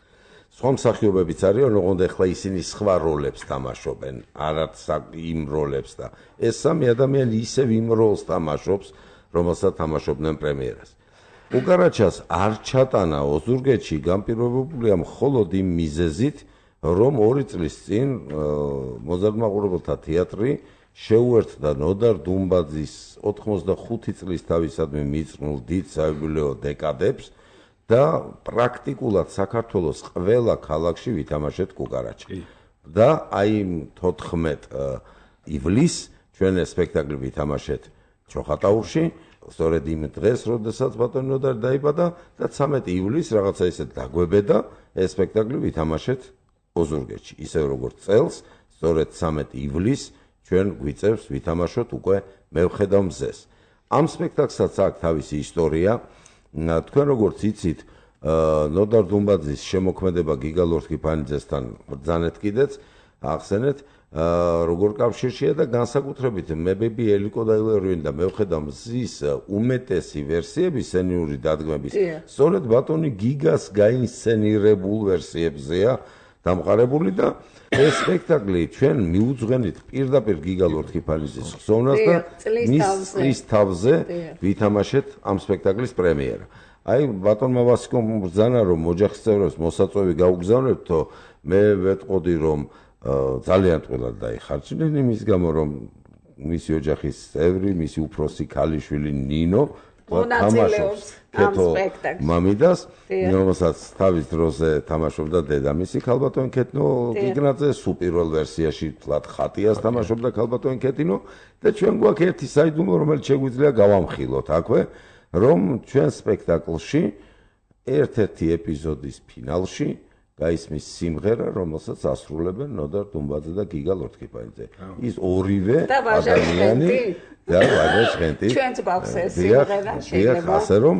Speaker 6: სხვა მსახიობებიც არიან, ოღონდ ახლა ისინი სხვა როლებს თამაშობენ, არც იმ როლებს და ეს სამი ადამიანი ისევ იმ როლს თამაშობს, რომელსაც თამაშობდნენ პრემიერას. უკარაჩას არ ჩატანა ოზურგეთში განპირობებულია მხოლოდ იმ მიზეზით, რომ ორი წლის წინ მოზარდმაყურებელთა თეატრი შეუერთდა ნოდარ დუმბაძის ოთხმოცდახუთი წლის თავისადმი მიძღვნილ დიდ საიუბილეო დეკადებს და პრაქტიკულად საქართველოს ყველა ქალაქში ვითამაშეთ კუკარაჩა. და აი თოთხმეტ ივლისს ჩვენ ეს სპექტაკლი ვითამაშეთ ჩოხატაურში, სწორედ იმ დღეს, როდესაც ბატონი ნოდარი დაიბადა და ცამეტი ივლისს რაღაცა ისე დაგვებედა ეს სპექტაკლი ვითამაშეთ ოზურგეთში. ისევ როგორც წელს, სწორედ ცამეტი ივლისს ჩვენ გვიწევს ვითამაშოთ უკვე მევხედავ მზეს. ამ სპექტაკლსაც აქვს თავისი ისტორია. თქვენ როგორც იცით, ნოდარ დუმბაძის შემოქმედება გიგა ლორთქიფანიძესთან ბრძანეთ კიდეც, ახსენეთ, როგორ კავშირშია და განსაკუთრებით მებები ელიკო დაილერვინი და მევხედავ მზის უმეტესი ვერსიები სცენიური დადგმების სწორედ ბატონი გიგას გაინსცენირებულ ვერსიებზეა დამყარებული და ეს სპექტაკლი ჩვენ მიუძღენით პირდაპირ გიგა ლორთქიფანიძის ხსოვნას და მის თავზე ვითამაშეთ ამ სპექტაკლის პრემიერა. აი ბატონმა ვასიკომ ბრძანა რომ ოჯახის წევრებს მოსაწვევი გაუგზავნებთო, მე ვეტყოდი რომ ძალიან ტყუილად დაიხარჯნენ იმის გამო რომ მისი ოჯახის წევრი, მისი უფროსი ქალიშვილი ნინო თამაშობს კეთო მამიდას, რომელსაც თავის დროზე თამაშობდა დედამისი ქალბატონი ქეთნო გიგნაძე, სუპირველ ვერსიაში თლად ხატიას თამაშობდა ქალბატონი ქეთინო და ჩვენ გვაქვს ერთი საიდუმლო, რომელიც შეგვიძლია გავამხილოთ აქვე, რომ ჩვენ სპექტაკლში ერთ-ერთი ეპიზოდის ფინალში გაისმის სიმღერა, რომელსაც ასრულებენ ნოდარ დუმბაძე და გიგა ლორთქიფანიძე. ის ორივე ადამიანი და ვაჟა ჟღენტი.
Speaker 2: ჩვენც გვაქვს ეს სიმღერა, შეიძლება.
Speaker 6: ასე რომ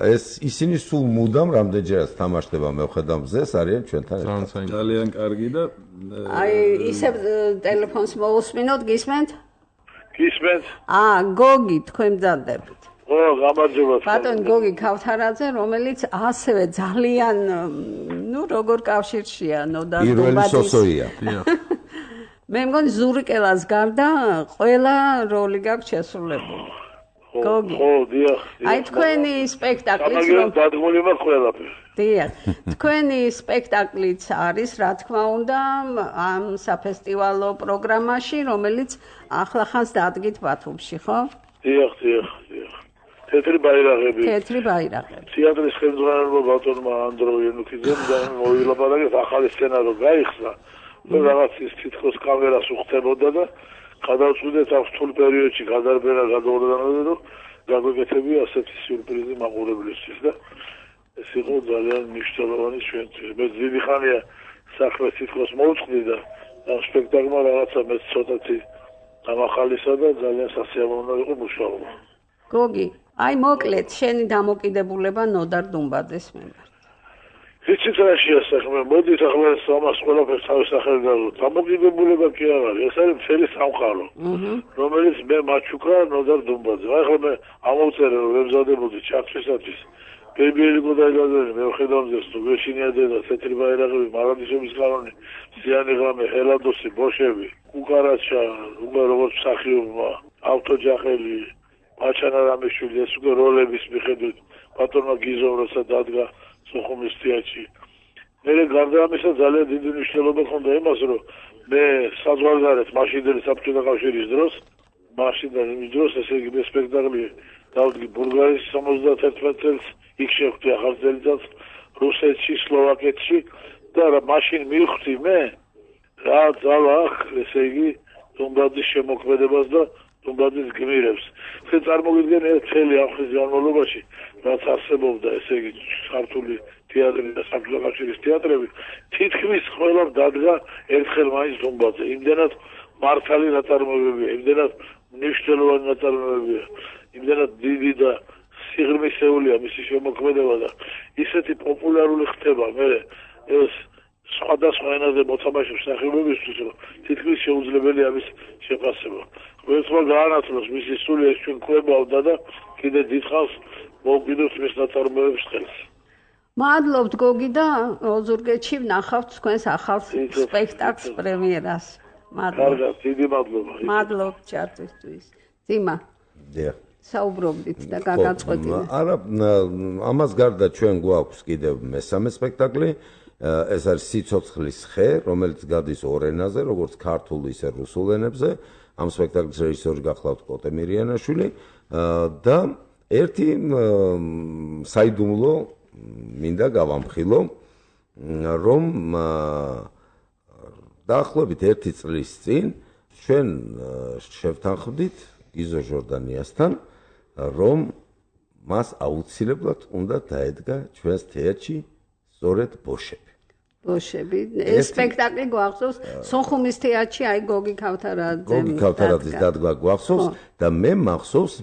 Speaker 6: ეს ისინი სულ მუდამ რამდენჯერაც თამაშდება მევხედავ მზეს, არიან ჩვენთან ერთად.
Speaker 3: ძალიან კარგი და
Speaker 2: აი ისევ ტელეფონს მოусმინოთ, გისმენთ?
Speaker 5: გისმენთ?
Speaker 2: აა, გოგი, თქვენ მძადებით.
Speaker 5: ო, გამარჯობა.
Speaker 2: ბატონი გოგი ქავთარაძე, რომელიც ასევე ძალიან, ნუ როგორ კავშირშია ნოდარ დუმბაძის.
Speaker 6: პირველი სოსოია.
Speaker 2: მე მგონი ზურიკელას გარდა ყველა როლი გაქვს შესრულებული. გოგი.
Speaker 5: ხო, დიახ.
Speaker 2: აი თქვენი სპექტაკლიც
Speaker 5: რომ დადგმული მაქვს ყველაფერი.
Speaker 2: დიახ. თქვენი სპექტაკლიც არის, რა თქმა უნდა, ამ საფესტივალო პროგრამაში, რომელიც ახლახანს დადგით ბათუმში, ხო?
Speaker 5: დიახ, დიახ, დიახ. თეთრი ბაირაღები.
Speaker 2: თეთრი ბაირაღები.
Speaker 5: თეატრის ხელმძღვანელობა ბატონმა ანდრო იანუკიძემ და მოვილაპარაკეთ ახალი სცენარო გაიხსნა. რაღაც ის თითქოს კამერას უხდებოდა და გადავწყვიტეთ ამ რთულ პერიოდში გადარბენა გადაურდანოდა და გაგვეკეთებია ასეთი სიურპრიზი მაყურებლისთვის და ეს იყო ძალიან მნიშვნელოვანი ჩვენთვის. მე დიდი ხანია საქმეს თითქოს მოვწყდი და ამ სპექტაკლმა რაღაცა მე ცოტათი გამახალისა და ძალიან სასიამოვნო იყო მუშაობა.
Speaker 2: გოგი, აი მოკლედ შენი დამოკიდებულება ნოდარ დუმბაძის მიმართ.
Speaker 5: ვიცით რა შეასახმე, მოდით ახლა ამას ყველაფერს თავის სახელი დავუთ. დამოკიდებულება კი არ არის, ეს არის მთელი სამყარო, რომელიც მე მაჩუკა ნოდარ დუმბაძე. აი ახლა მე ამოვწერე რომ ვემზადებოდი ჩართვისათვის. ბებიელიკო დაილადენი, მე ვხედავ მზეს, თუ გეშინია დედა, თეთრი ბაირაღები, მარადიშების კანონი, ზიანი ღამე, ჰელადოსი, ბოშები, კუკარაჩა, უკვე როგორც მსახიობმა, ავტოჯახელი, მაჩანა რამიშვილი, ეს უკვე როლების მიხედვით ბატონმა გიზომ როცა დადგა სოხუმის თეატრში. მე გარდა ამისა ძალიან დიდი მნიშვნელობა ჰქონდა იმას, რომ მე საზღვარგარეთ მაშინდელი საბჭოთა კავშირის დროს, მაშინდელ იმ დროს ესე იგი მე სპექტაკლი დავდგი ბულგარეთის სამოცდაათი წელს, იქ შევხვდი ახალ წელიწადს, რუსეთში, სლოვაკეთში და მაშინ მივხვდი მე რა ძალა აქვს ესე იგი დუმბაძის შემოქმედებას და დუმბაძის გმირებს. ხე წარმოგიდგენთ მთელი ამ ხის განმავლობაში, რაც არსებობდა, ესე იგი ქართული თეატრი და საქართველოს კავშირის თეატრები, თითქმის ყველა დადგა ერთხელ მაინც დუმბაძე. იმდენად მართალი ნაწარმოებებია, იმდენად მნიშვნელოვანი ნაწარმოებებია, იმდენად დიდი და სიღრმისეულია მისი შემოქმედება და ისეთი პოპულარული ხდება მე ეს სხვადასხვა ენაზე მოთამაშე მსახიობებისთვის, რომ თითქმის შეუძლებელია ამის შეფასება. ყოველთვის გაანაცვლოს მისი სული ეს ჩვენ კვებავდა და კიდე დიდხანს მოვყიდოთ მის ნაწარმოებებს ხელს.
Speaker 2: მადლობთ გოგი და ოზურგეთში ვნახავთ თქვენს ახალ სპექტაკლს პრემიერას. მადლობა.
Speaker 5: კარგად, დიდი მადლობა.
Speaker 2: მადლობთ ჩართვისთვის. ძიმა.
Speaker 6: დიახ.
Speaker 2: საუბრობდით და გაგაწყვეტინეთ.
Speaker 6: არა, ამას გარდა ჩვენ გვაქვს კიდევ მესამე სპექტაკლი. ეს არის სიცოცხლის ხე, რომელიც გადის ორ ენაზე, როგორც ქართულ ისე რუსულ ენებზე. ამ სპექტაკლის რეჟისორი გახლავთ კოტე მირიანაშვილი და ერთი საიდუმლო მინდა გავამხილო, რომ დაახლოებით ერთი წლის წინ ჩვენ შევთანხმდით გიზო ჟორდანიასთან, რომ მას აუცილებლად უნდა დაედგა ჩვენს თეატრში სწორედ ბოშები.
Speaker 2: ბოშები. ეს სპექტაკლი გვახსოვს სოხუმის თეატრში, აი გოგი ქავთარაძე.
Speaker 6: გოგი ქავთარაძის დადგმა გვახსოვს და მე მახსოვს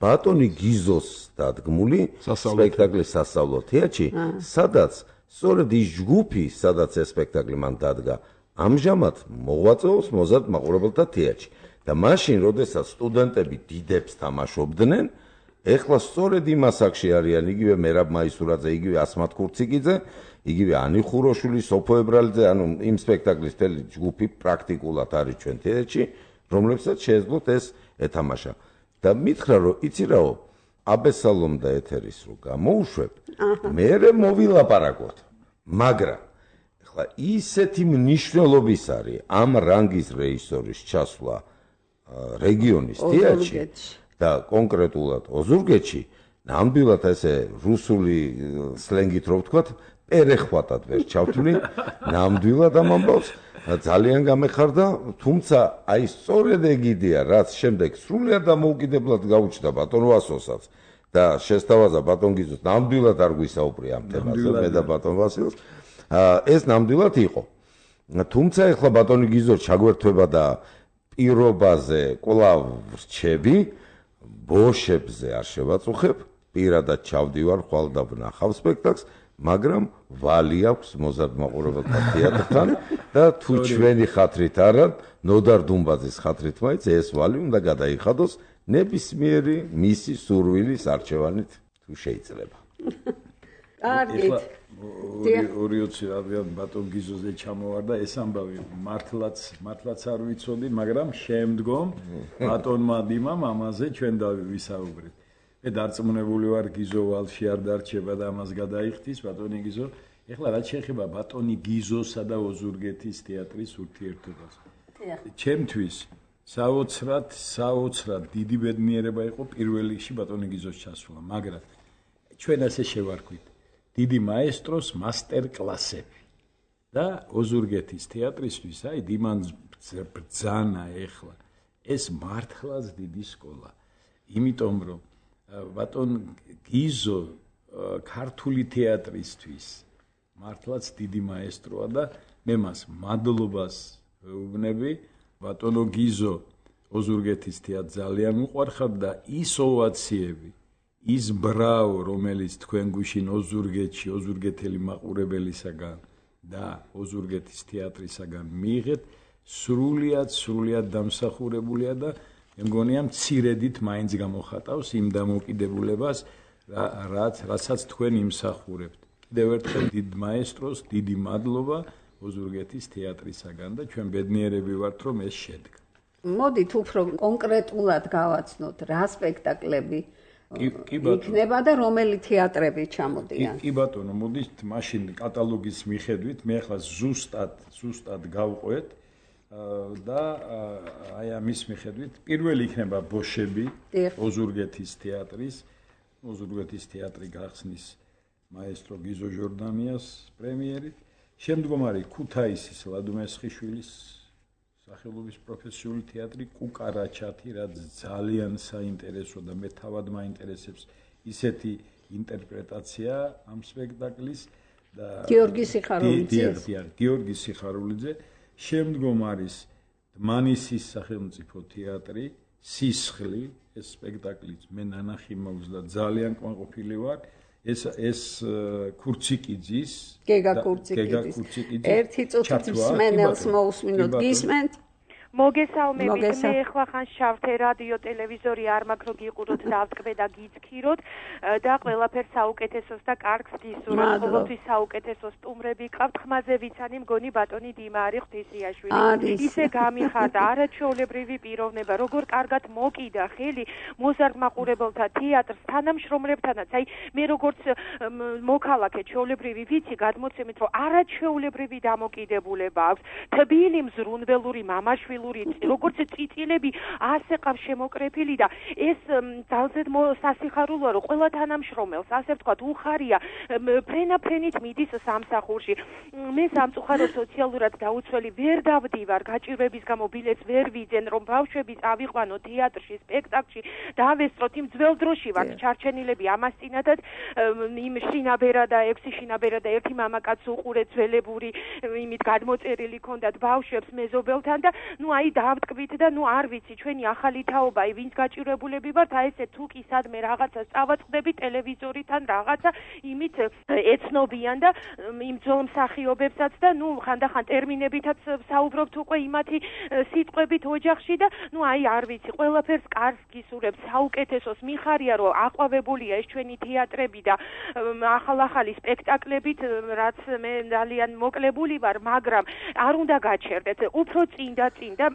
Speaker 6: ბატონი გიზოს დადგმული სპექტაკლი სასწავლო თეატრში, სადაც სწორედ ის ჯგუფი, სადაც ეს სპექტაკლი მან დადგა, ამჟამად მოღვაწეობს მოზარდ მაყურებელთა თეატრში. და მაშინ, როდესაც სტუდენტები დიდებს თამაშობდნენ, ეხლა სწორედ იმ ასაკში არიან იგივე მერაბ მაისურაძე, იგივე ასმათ ქურციკიძე, იგივე ანი ხუროშვილი, სოფო ებრალიძე, ანუ იმ სპექტაკლის მთელი ჯგუფი პრაქტიკულად არის ჩვენ თეატრში, რომლებსაც შეეძლოთ ეს ეთამაშა. და მითხრა, რომ იცი რაო, აბესალომ და ეთერის რო გამოუშვებ, მერე მოვილაპარაკოთ. მაგრამ ეხლა ისეთი მნიშვნელობის არის ამ რანგის რეჟისორის ჩასვლა რეგიონის თეატრში და კონკრეტულად ოზურგეთში, ნამდვილად ესე რუსული სლენგით რო ვთქვათ, პერეხვატად ვერ ჩავთვლი, ნამდვილად ამ ამბავს ძალიან გამეხარდა, თუმცა აი სწორედ ეგიდია, რაც შემდეგ სრულიად დამოუკიდებლად გაუჩნდა ბატონ ვასოსაც და შესთავაზა ბატონ გიზოს, ნამდვილად არ გვისაუბრია ამ თემაზე, მე და ბატონ ვასილს. ეს ნამდვილად იყო. თუმცა ეხლა ბატონი გიზო ჩაგვერთვება და პირობაზე კვლავ რჩები, ბოშებზე არ შევაწუხებ, პირადად ჩავდივარ, ხვალ და ვნახავ სპექტაკლს, მაგრამ ვალი აქვს მოზარდ მაყურებელთა თეატრთან და თუ ჩვენი ხათრით არა, ნოდარ დუმბაძის ხათრით მაინც ეს ვალი უნდა გადაიხადოს ნებისმიერი მისი სურვილის არჩევანით თუ შეიძლება.
Speaker 2: კარგით.
Speaker 3: ორი ოცი რადგან ბატონ გიზოზე ჩამოვარ და ეს ამბავი მართლაც მართლაც არ ვიცოდი, მაგრამ შემდგომ ბატონმა დიმამ ამაზე ჩვენ დავისაუბრეთ. მე დარწმუნებული ვარ გიზო ვალში არ დარჩება და ამას გადაიხდის ბატონი გიზო. ეხლა რაც შეეხება ბატონი გიზოსა და ოზურგეთის თეატრის ურთიერთობას. ჩემთვის საოცრად, საოცრად დიდი ბედნიერება იყო პირველ რიგში ბატონი გიზოს ჩასვლა, მაგრამ ჩვენ ასე შევარქვით. დიდი მაესტროს მასტერ კლასები და ოზურგეთის თეატრისთვის, აი დიმან ბრძანა ეხლა ეს მართლაც დიდი სკოლა. იმიტომ რომ ბატონ გიზო ქართული თეატრისთვის მართლაც დიდი მაესტროა და მე მას მადლობას ვეუბნები. ბატონო გიზო ოზურგეთის თეატრს ძალიან უყვარხარ და ის ოვაციები, ის ბრავო, რომელიც თქვენ გუშინ ოზურგეთში, ოზურგეთელი მაყურებელისაგან და ოზურგეთის თეატრისაგან მიიღეთ, სრულიად, სრულიად დამსახურებულია და მე მგონია მცირედით მაინც გამოხატავს იმ დამოკიდებულებას, რაც რასაც თქვენ იმსახურებთ. კიდევ ერთხელ დიდ მაესტროს დიდი მადლობა ოზურგეთის თეატრისაგან და ჩვენ ბედნიერები ვართ, რომ ეს შედგა.
Speaker 2: მოდით უფრო კონკრეტულად გავაცნოთ, რა სპექტაკლები იქნება და რომელი თეატრები ჩამოდიან.
Speaker 3: კი ბატონო, მოდით მაშინ კატალოგის მიხედვით, მე ახლა ზუსტად, ზუსტად გავყვეთ და აი ამის მიხედვით პირველი იქნება ბოშები ოზურგეთის თეატრის, ოზურგეთის თეატრი გახსნის მაესტრო გიზო ჟორდანიას პრემიერით. შემდგომ არის ქუთაისის ლადო მესხიშვილის სახელობის პროფესიული თეატრი კუკარაჩათი, რაც ძალიან საინტერესო და მე თავად მაინტერესებს ისეთი ინტერპრეტაცია ამ სპექტაკლის და
Speaker 2: გიორგი სიხარულიძეს.
Speaker 3: გიორგი სიხარულიძე. შემდგომ არის დმანისის სახელმწიფო თეატრი, სისხლი, ეს სპექტაკლიც მე ნანახი მოვზდა, ძალიან კმაყოფილი ვარ. ეს ეს ქურციკიძის
Speaker 2: გეგა ქურციკიძის ერთი წუთით მსმენელს მოусმინოთ გისმენთ
Speaker 7: მოგესალმებით მე ახლა ხან შავთე რადიო ტელევიზორი არ მაქვს რო გიყუროთ და ავტკბე და გიცქიროთ და ყველაფერს საუკეთესოს და კარგს გისურვებთ ყოველთვის საუკეთესო სტუმრები ყავთ ხმაზე ვიცანი მგონი ბატონი დიმარი ღვთისიაშვილი ისე გამიხარდა არაჩვეულებრივი პიროვნება როგორ კარგად მოკიდა ხელი მოზარდ მაყურებელთა თეატრს თანამშრომლებთანაც აი მე როგორც მოქალაქე ჩვეულებრივი ვიცი გადმოცემით რომ არაჩვეულებრივი დამოკიდებულება აქვს თბილი მზრუნველური მამაშვილი როგორც წიწილები ასე ყავს შემოკრეფილი და ეს ძალზედ სასიხარულოა რომ ყველა თანამშრომელს ასე ვთქვათ უხარია ფრენა-ფრენით მიდის სამსახურში მე სამწუხაროდ სოციალურად დაუცველი ვერ დავდივარ გაჭირვების გამო ბილეთს ვერ ვიძენ რომ ბავშვები წავიყვანო თეატრში სპექტაკლში დავესწროთ იმ ძველ დროში ვართ ჩარჩენილები ამას წინათაც იმ შინაბერა და ექვსი შინაბერა და ერთი მამაკაც უყურე ძველებური იმით გადმოწერილი ქონდათ ბავშვებს მეზობელთან და ну აი დავტკბით და ну არ ვიცი ჩვენი ახალი თაობა აი ვინც გაჭირვებულები ვართ აი ესე თუ კი სადმე რაღაცას წავაწყდები ტელევიზორიდან რაღაცა იმით ეცნობიან და იმ ძველ მსახიობებსაც და ну ხანდახან ტერმინებითაც საუბრობთ უკვე იმათი სიტყვებით ოჯახში და ну აი არ ვიცი ყველაფერს კარგს გისურვებთ საუკეთესოს მიხარია რომ აყვავებულია ეს ჩვენი თეატრები და ახალ-ახალი სპექტაკლებით რაც მე ძალიან მოკლებული ვარ მაგრამ არ უნდა გაჩერდეთ უფრო წინ და წინ და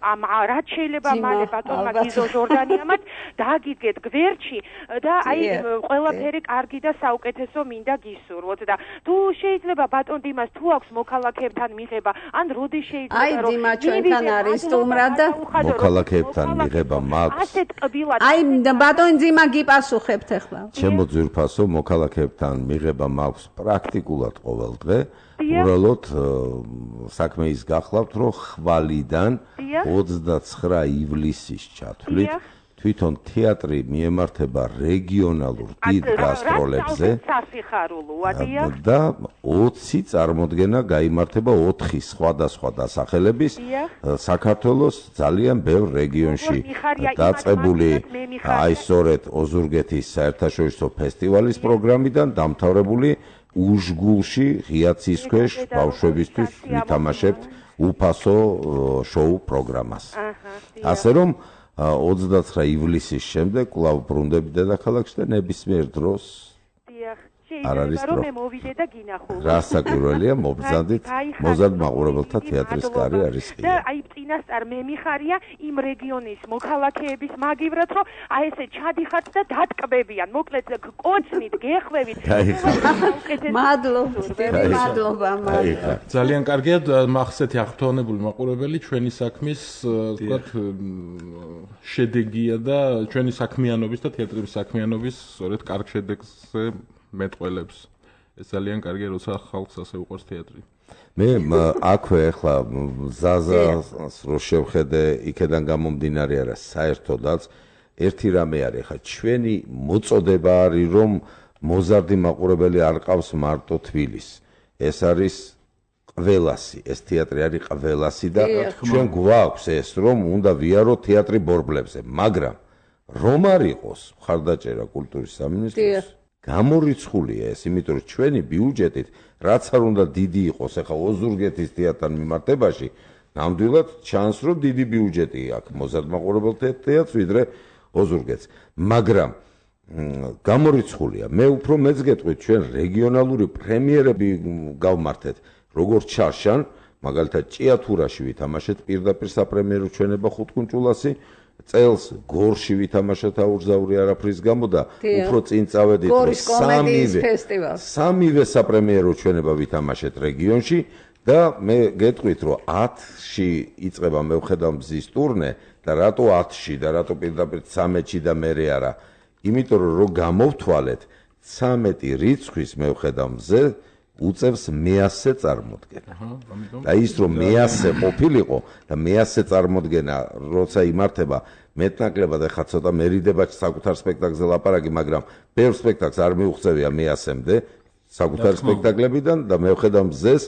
Speaker 7: რაც შეიძლება მალე ბატონმა გიზო ჟორდანიამაც დააგიდგეთ გვერდში და აი ყველაფერი კარგი და საუკეთესო მინდა გისურვოთ და თუ შეიძლება ბატონ დიმას თუ აქვს მოქალაქეებთან მიღება ან როდი შეიძლება
Speaker 2: რომ აი დიმა ჩვენთან არის სტუმრად და
Speaker 6: მოქალაქეებთან მიღება მაქვს
Speaker 7: ასეთ ტბილად
Speaker 2: აი ბატონ დიმა გიპასუხებთ ახლა
Speaker 6: ჩემო ძვირფასო მოქალაქეებთან მიღება მაქვს პრაქტიკულად ყოველ დღე უბრალოდ საქმე ის გახლავთ რომ ხვალიდან ოცდაცხრა ივლისის ჩათვლით თვითონ თეატრი მიემართება რეგიონალურ დიდ გასტროლებზე და ოცი წარმოდგენა გაიმართება ოთხი სხვადასხვა დასახელების საქართველოს ძალიან ბევრ რეგიონში დაწყებული აი სწორედ ოზურგეთის საერთაშორისო ფესტივალის პროგრამიდან დამთავრებული უშგულში ღიაცის ქვეშ ბავშვებისთვის ვითამაშებთ უფასო შოუ პროგრამას. ასე რომ ოცდაცხრა ივლისის შემდეგ კვლავ ბრუნდები დედაქალაქში და ნებისმიერ დროს არ არის
Speaker 7: რომ მე მოვიდე და გინახულობ.
Speaker 6: რასაკვირველია მობრძანდით მოზარდ მაყურებელთა თეატრის კარი არის ღია.
Speaker 7: და აი წინასწარ მე მიხარია იმ რეგიონის მოქალაქეების მაგივრად რომ აი ესე ჩადიხართ და დატკბებიან. მოკლედ კოცნით, გეხვევით.
Speaker 2: მადლობა, მადლობა, მადლობა.
Speaker 4: ძალიან კარგია ახსეთი აღფრთოვანებული მაყურებელი ჩვენი საქმის ვთქვათ შედეგია და ჩვენი საქმიანობის და თეატრის საქმიანობის სწორედ კარგ შედეგზე მეტყველებს. ეს ძალიან კარგია, როცა ხალხს ასე უყვარს თეატრი.
Speaker 6: მე აქვე ახლა ზაზას რო შევხედე, იქედან გამომდინარე არა, საერთოდაც ერთი რამე არის, ხა ჩვენი მოწოდება არის, რომ მოზარდი მაყურებელი არ ყავს მარტო თბილისს. ეს არის ყველასი, ეს თეატრი არის ყველასი და ჩვენ გვაქვს ეს, რომ უნდა ვიაროთ თეატრი ბორბლებზე, მაგრამ რომ არ იყოს მხარდაჭერა კულტურის სამინისტროს გამორიცხულია ეს, იმიტომ რომ ჩვენი ბიუჯეტით რაც არ უნდა დიდი იყოს, ახლა ოზურგეთის თეატრთან მიმართებაში, ნამდვილად ჩანს, რომ დიდი ბიუჯეტი აქვს მოზარდ მაყურებელთა თეატრს, ვიდრე ოზურგეთს. მაგრამ გამორიცხულია. მე უფრო მეც გეტყვით, ჩვენ რეგიონალური პრემიერები გავმართეთ, როგორც ჩარშან, მაგალითად ჭიათურაში ვითამაშეთ პირდაპირ საპრემიერო ჩვენება ხუთკუნჭულასი, წელს გორში ვითამაშეთ აურზაური არაფრის გამო და უფრო წინ წავედით სამივე სამივე საპრემიერო ჩვენება ვითამაშეთ რეგიონში და მე გეტყვით რომ ათში იწყება მე ვხედავ მზის ტურნე და რატო ათში და რატო პირდაპირ ცამეტში და მერე არა იმიტომ რომ რო გამოვთვალეთ ცამეტი რიცხვის მე ვხედავ მზე უწევს მეასე წარმოდგენა. და ის რომ მეასე ყოფილიყო და მეასე წარმოდგენა როცა იმართება მეტნაკლებად ახლა ცოტა მერიდება საკუთარ სპექტაკლზე ლაპარაკი, მაგრამ ბევრ სპექტაკლს არ მიუღწევია მეასემდე საკუთარ სპექტაკლებიდან და მე ვხედავ მზეს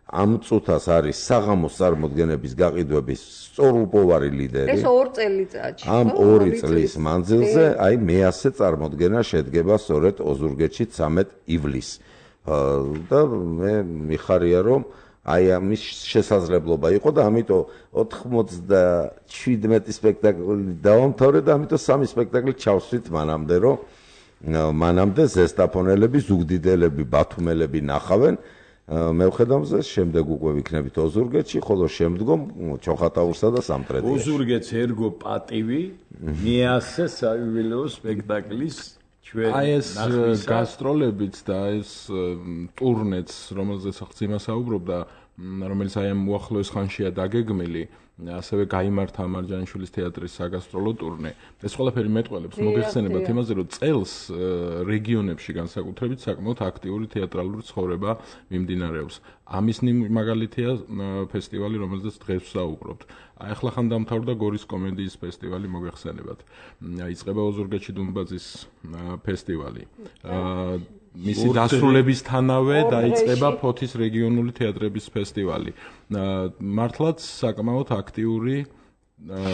Speaker 6: ამ წუთას არის საღამოს წარმოდგენების გაყიდვების სწორუპოვარი ლიდერი.
Speaker 2: ეს ორ წელიწადში.
Speaker 6: ამ ორი წლის მანძილზე აი მეასე წარმოდგენა შედგება სწორედ ოზურგეთში ცამეტ ივლისს. და მე მიხარია რომ აი ამის შესაძლებლობა იყო და ამიტომ ოთხმოცდაშვიდმეტი სპექტაკლი დავამთავრე და ამიტომ სამი სპექტაკლი ჩავსვით მანამდე რომ მანამდე ზესტაფონელები, ზუგდიდელები, ბათუმელები ნახავენ. მე ვხედავ მზეს, შემდეგ უკვე ვიქნებით ოზურგეთში, ხოლო შემდგომ ჩოხატაურსა და სამტრედიაში.
Speaker 3: ოზურგეთს ერგო პატივი მეასე საიუბილეო სპექტაკლის
Speaker 4: აი ეს გასტროლებიც და ეს ტურნეც, რომელზეც ახლა საუბრობდა, რომელიც აი ამ უახლოეს ხანშია დაგეგმილი, ასევე გაიმართა მარჯანიშვილის თეატრის საგასტროლო ტურნე. ეს ყველაფერი მეტყველებს მოგეხსენებათ იმაზე, რომ წელს რეგიონებში განსაკუთრებით საკმაოდ აქტიური თეატრალური ცხოვრება მიმდინარეობს. ამის მაგალითია ფესტივალი, რომელზეც დღეს ვსაუბრობთ. აი ახლა ხან დამთავრდა გორის კომედიის ფესტივალი, მოგეხსენებათ. იწყება ოზურგეთში დუმბაძის ფესტივალი. მისი დასრულებისთანავე დაიწყება ფოთის რეგიონული თეატრების ფესტივალი. მართლაც საკმაოდ აქტიური.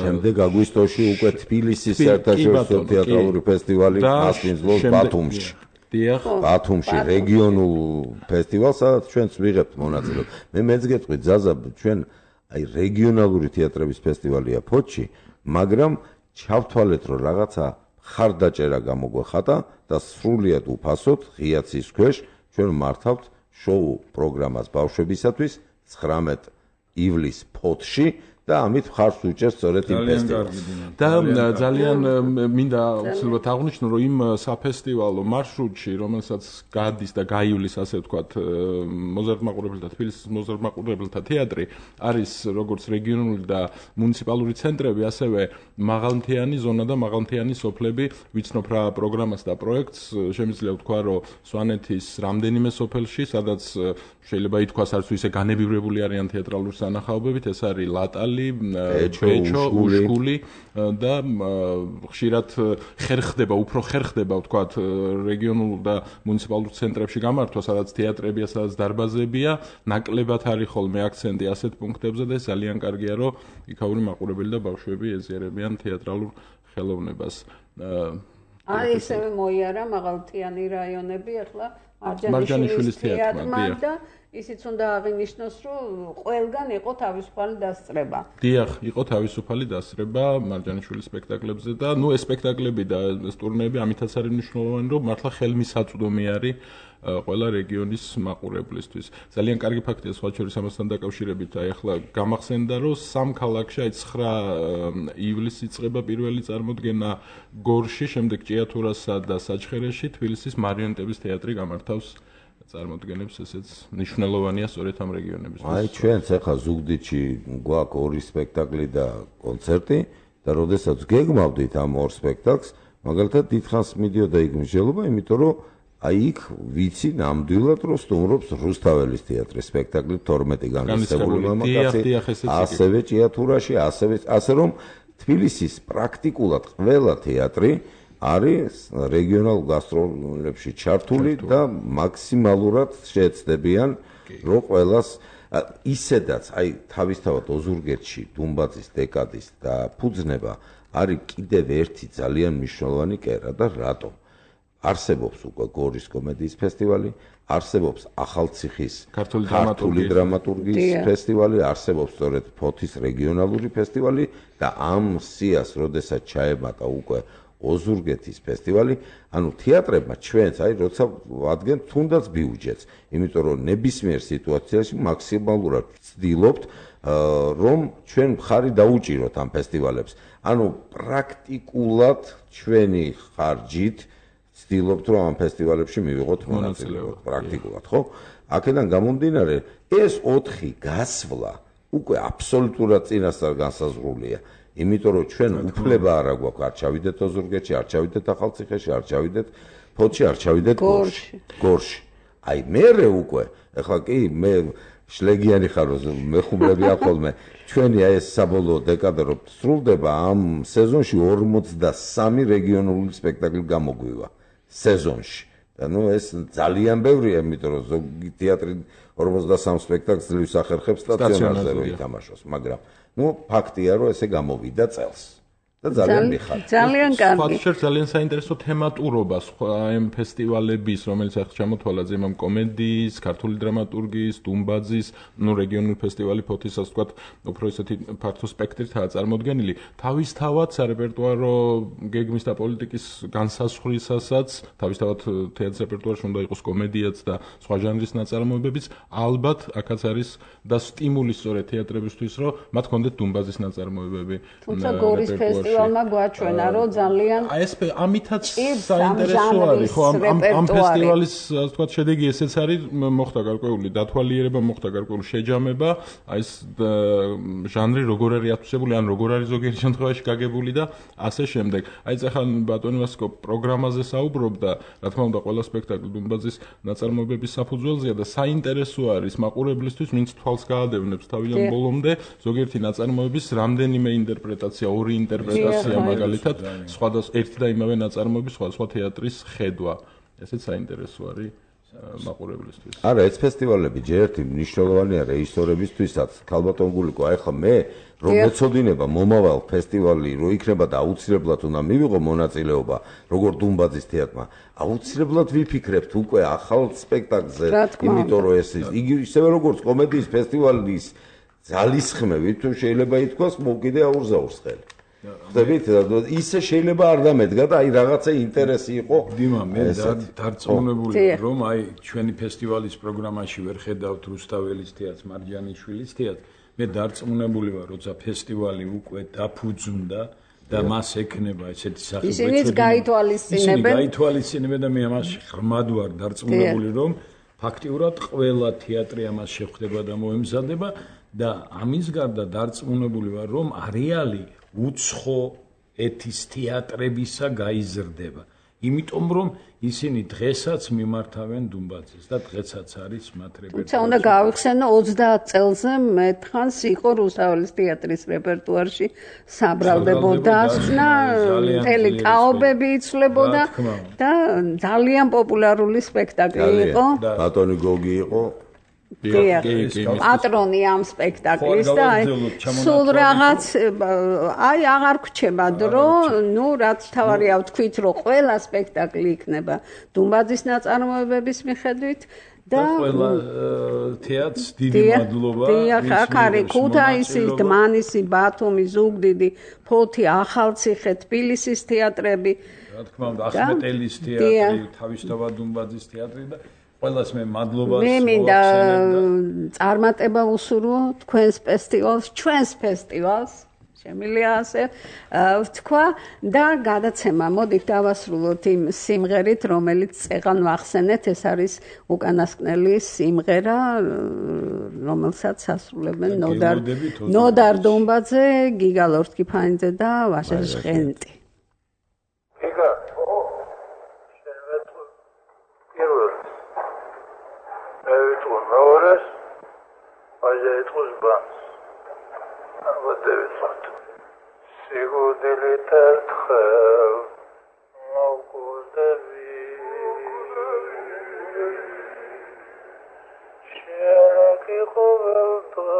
Speaker 6: შემდეგ აგვისტოში უკვე თბილისის საერთაშორისო თეატრალური ფესტივალი მასპინძლობს ბათუმში.
Speaker 4: დიახ,
Speaker 6: ბათუმში რეგიონულ ფესტივალს, სადაც ჩვენც ვიღებთ მონაწილეობას. მე მეც გეტყვი ზაზა, ჩვენ აი რეგიონალური თეატრების ფესტივალია ფოთში, მაგრამ ჩავთვალეთ რომ რაღაცა ხარდაჭერა გამოგვეხატა და სრულიად უფასოდ ღიაცის ქვეშ ჩვენ მართავთ შოუ პროგრამას ბავშვებისათვის ცხრამეტ ივლისს ფოთში და ამით მხარს უჭერს სწორედ იმ ფესტივალს.
Speaker 4: და ძალიან მინდა უცებად აღვნიშნო, რომ იმ საფესტივალო მარშრუტში, რომელსაც გადის და გაივლის, ასე ვთქვათ, მოზარდმაყურებელთა თბილისის მოზარდმაყურებელთა თეატრი, არის როგორც რეგიონული და მუნიციპალური ცენტრები, ასევე მაღალმთიანი ზონა და მაღალმთიანი სოფლები. ვიცნობ რა პროგრამას და პროექტს, შემიძლია ვთქვა, რომ სვანეთის რამდენიმე სოფელში, სადაც შეიძლება ითქვას, არც ისე განებივრებული არიან თეატრალური სანახაობებით, ეს არის ლატალი, პეჩო, უშკული და ხშირად ხერხდება, უფრო ხერხდება, ვთქვათ, რეგიონულ და მუნიციპალურ ცენტრებში გამართვა, სადაც თეატრებია, სადაც დარბაზებია, ნაკლებად არის ხოლმე აქცენტი ასეთ პუნქტებზე და ძალიან კარგია, რომ იქაური მაყურებელი და ბავშვები ეზიარებიან თეატრალურ ხელოვნებას.
Speaker 2: აი ესევე მოიარა მაღალმთიანი რაიონები, ახლა
Speaker 4: მარჯანიშვილის თეატრმა
Speaker 2: და ისიც უნდა აღინიშნოს, რომ ყველგან იყო თავისუფალი დასწრება.
Speaker 4: დიახ, იყო თავისუფალი დასწრება მარჯანიშვილის სპექტაკლებზე და ნუ ეს სპექტაკლები და ეს ტურნეები ამითაც არის მნიშვნელოვანი, რომ მართლა ხელმისაწვდომი არის ყველა რეგიონის მაყურებლისთვის. ძალიან კარგი ფაქტია სხვა შორის ამასთან დაკავშირებით, აი ახლა გამახსენდა, რომ სამ ქალაქში, აი ცხრა ივლისს იწყება პირველი წარმოდგენა გორში, შემდეგ ჭიათურასა და საჩხერეში, თბილისის მარიონეტების თეატრი გამართავს წარმოდგენებს, ესეც მნიშვნელოვანია სწორედ ამ რეგიონებში.
Speaker 6: აი ჩვენც ახლა ზუგდიდში გვაქვს ორი სპექტაკლი და კონცერტი და როდესაც გეგმავდით ამ ორ სპექტაკლს, მაგალითად დიდხანს მიდიოდა იქ მსჯელობა, იმიტომ რომ აი იქ ვიცი ნამდვილად რომ სტუმრობს რუსთაველის თეატრის სპექტაკლი თორმეტი განსწრებული მამაკაცი, ასევე ჭიათურაში, ასევე ასე რომ თბილისის პრაქტიკულად ყველა თეატრი არის რეგიონალურ გასტროლებში ჩართული და მაქსიმალურად შეეცდებიან რომ ყველას ისედაც აი თავისთავად ოზურგეთში დუმბაძის დეკადის და ფუძნება არის კიდევ ერთი ძალიან მნიშვნელოვანი კერა და რატომ არსებობს უკვე გორის კომედიის ფესტივალი, არსებობს ახალციხის ქართული დრამატურგიის ფესტივალი, არსებობს სწორედ ფოთის რეგიონალური ფესტივალი და ამ სიას როდესაც ჩაემატა უკვე ოზურგეთის ფესტივალი, ანუ თეატრებმა ჩვენც აი როცა ვადგენთ თუნდაც ბიუჯეტს, იმიტომ რომ ნებისმიერ სიტუაციაში მაქსიმალურად ვცდილობთ რომ ჩვენ მხარი დაუჭიროთ ამ ფესტივალებს. ანუ პრაქტიკულად ჩვენი ხარჯით ვცდილობთ რომ ამ ფესტივალებში მივიღოთ მონაწილეობა პრაქტიკულად, ხო? აქედან გამომდინარე, ეს ოთხი გასვლა უკვე აბსოლუტურად წინასწარ განსაზღვრულია. იმიტომ რომ ჩვენ უფლება არ აგვაქვს, არ ჩავიდეთ ოზურგეთში, არ ჩავიდეთ ახალციხეში, არ ჩავიდეთ ფოთში, არ ჩავიდეთ გორში. გორში. აი მერე უკვე ეხლა კი მე შლეგიანი ხარ მეხუბრები ახოლმე ჩვენი აი ეს საბოლოო დეკადა რო სრულდება ამ სეზონში ორმოცდასამი რეგიონული სპექტაკლი გამოგვივა სეზონში და ნუ ეს ძალიან ბევრია იმიტომ რომ ზოგი თეატრი ორმოცდასამ სპექტაკლს ძლივს ახერხებს სტაციონარზე რო ითამაშოს მაგრამ ნუ ფაქტია რომ ესე გამოვიდა წელს და ძალიან მიხარდა.
Speaker 2: ძალიან კარგი.
Speaker 4: სხვა ძალიან საინტერესო თემატურობა სხვა ამ ფესტივალების, რომელიც ახლა ჩამოთვალა ზემამ კომედიის, ქართული დრამატურგიის, დუმბაძის, ნუ რეგიონული ფესტივალი ფოთისაც თქვა, უფრო ისეთი ფართო სპექტრითაა წარმოდგენილი. თავისთავად სარეპერტუარო გეგმის და პოლიტიკის განსაზღვრისასაც, თავისთავად თეატრის რეპერტუარში უნდა იყოს კომედიაც და სხვა ჟანრის ნაწარმოებებიც, ალბათ აქაც არის და სტიმული სწორედ თეატრებისთვის, რომ მათ ჰქონდეთ დუმბაძის ნაწარმოებები.
Speaker 2: თუმცა გორის ფესტივალმა გვაჩვენა, რომ ძალიან
Speaker 4: აი ეს ამითაც საინტერესო არის, ხო ამ ამ ფესტივალის ასე ვთქვათ შედეგი ესეც არის, მოხდა გარკვეული დათვალიერება, მოხდა გარკვეული შეჯამება, აი ეს ჟანრი როგორ არის ათვისებული, ან როგორ არის ზოგიერთ შემთხვევაში გაგებული და ასე შემდეგ. აი ეს ახლა ბატონი ვასკო პროგრამაზე საუბრობდა, რა თქმა უნდა, ყველა სპექტაკლი დუმბაძის ნაწარმოებების საფუძველზეა და საინტერესო არის მაყურებლისთვის, ვინც თვალს გაადევნებს თავიდან ბოლომდე, ზოგიერთი ნაწარმოების რამდენიმე ინტერპრეტაცია, ორი ინტერპრეტაცია მაგალითად, სხვადასხვა ერთი და იმავე ნაწარმოების სხვადასხვა თეატრის ხედვა. ესეც საინტერესო არის მაყურებლისთვის.
Speaker 6: არა, ეს ფესტივალები ჯერ ერთი მნიშვნელოვანია რეჟისორებისთვისაც. ქალბატონ გულიკო, აი ხა მე რომ მეწოდინება მომავალ ფესტივალი რო იქნება და აუცილებლად უნდა მივიღო მონაწილეობა როგორ დუმბაძის თეატრმა, აუცილებლად ვიფიქრებთ უკვე ახალ სპექტაკლზე, იმიტომ რომ ეს იგი ისევე როგორც კომედიის ფესტივალის ძალისხმევით თუ შეიძლება ითქვას მოკიდე აურზაურს ხელი. ხდებით, ისე შეიძლება არ დამედგა და აი რაღაცა ინტერესი იყო.
Speaker 3: დიმა, მე დარწმუნებული რომ აი ჩვენი ფესტივალის პროგრამაში ვერ ხედავთ რუსთაველის თეატრს, მარჯანიშვილის თეატრს. მე დარწმუნებული ვარ, როცა ფესტივალი უკვე დაფუძნდა და მას ექნება ესეთი სახე.
Speaker 2: ისინიც გაითვალისწინებენ.
Speaker 3: გაითვალისწინებენ და მე ამას ღრმად ვარ დარწმუნებული რომ ფაქტიურად ყველა თეატრი ამას შეხვდება და მოემზადება და ამის გარდა დარწმუნებული ვარ რომ არეალი უცხო ეთის თეატრებისა გაიზრდება. იმიტომ რომ ისინი დღესაც მიმართავენ დუმბაძეს და დღესაც არის მათ რეპერტუარში.
Speaker 2: თუმცა უნდა გავიხსენო ოცდაათ წელზე მეთხანს იყო რუსთაველის თეატრის რეპერტუარში საბრალდებო დასკვნა, მთელი ტაობები იცვლებოდა და ძალიან პოპულარული სპექტაკლი იყო.
Speaker 6: ბატონი გოგი იყო.
Speaker 2: პატრონი ამ სპექტაკლის და სულ რაღაც აი აღარ გვჩება დრო, ნუ რაც თავარია ვთქვით, რომ ყველა სპექტაკლი იქნება დუმბაძის ნაწარმოებების მიხედვით და
Speaker 3: ყველა თეატრს დიდი მადლობა.
Speaker 2: დიახ, აქ არის ქუთაისი, დმანისი, ბათუმი, ზუგდიდი, ფოთი, ახალციხე, თბილისის თეატრები.
Speaker 3: რა თქმა უნდა, ახმეტელის თეატრი, თავისთავად დუმბაძის თეატრი და ყველას მე მადლობას
Speaker 2: მე მინდა წარმატება ვუსურვო თქვენს ფესტივალს, ჩვენს ფესტივალს, შემიძლია ასე ვთქვა და გადაცემა მოდით დავასრულოთ იმ სიმღერით, რომელიც წეღან ვახსენეთ, ეს არის უკანასკნელი სიმღერა, რომელსაც ასრულებენ ნოდარ ნოდარ დუმბაძე, გიგა ლორთქიფანიძე და ვაშა ჟღენტი.
Speaker 8: Horas, allá de tus bans, aber der wird sigo deletar tchau, no godavi, shera ki khovalta,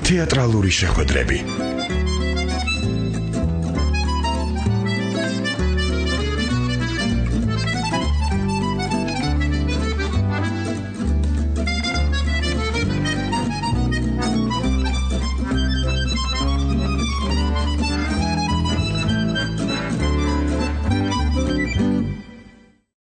Speaker 1: თეატრალური შეხვედრები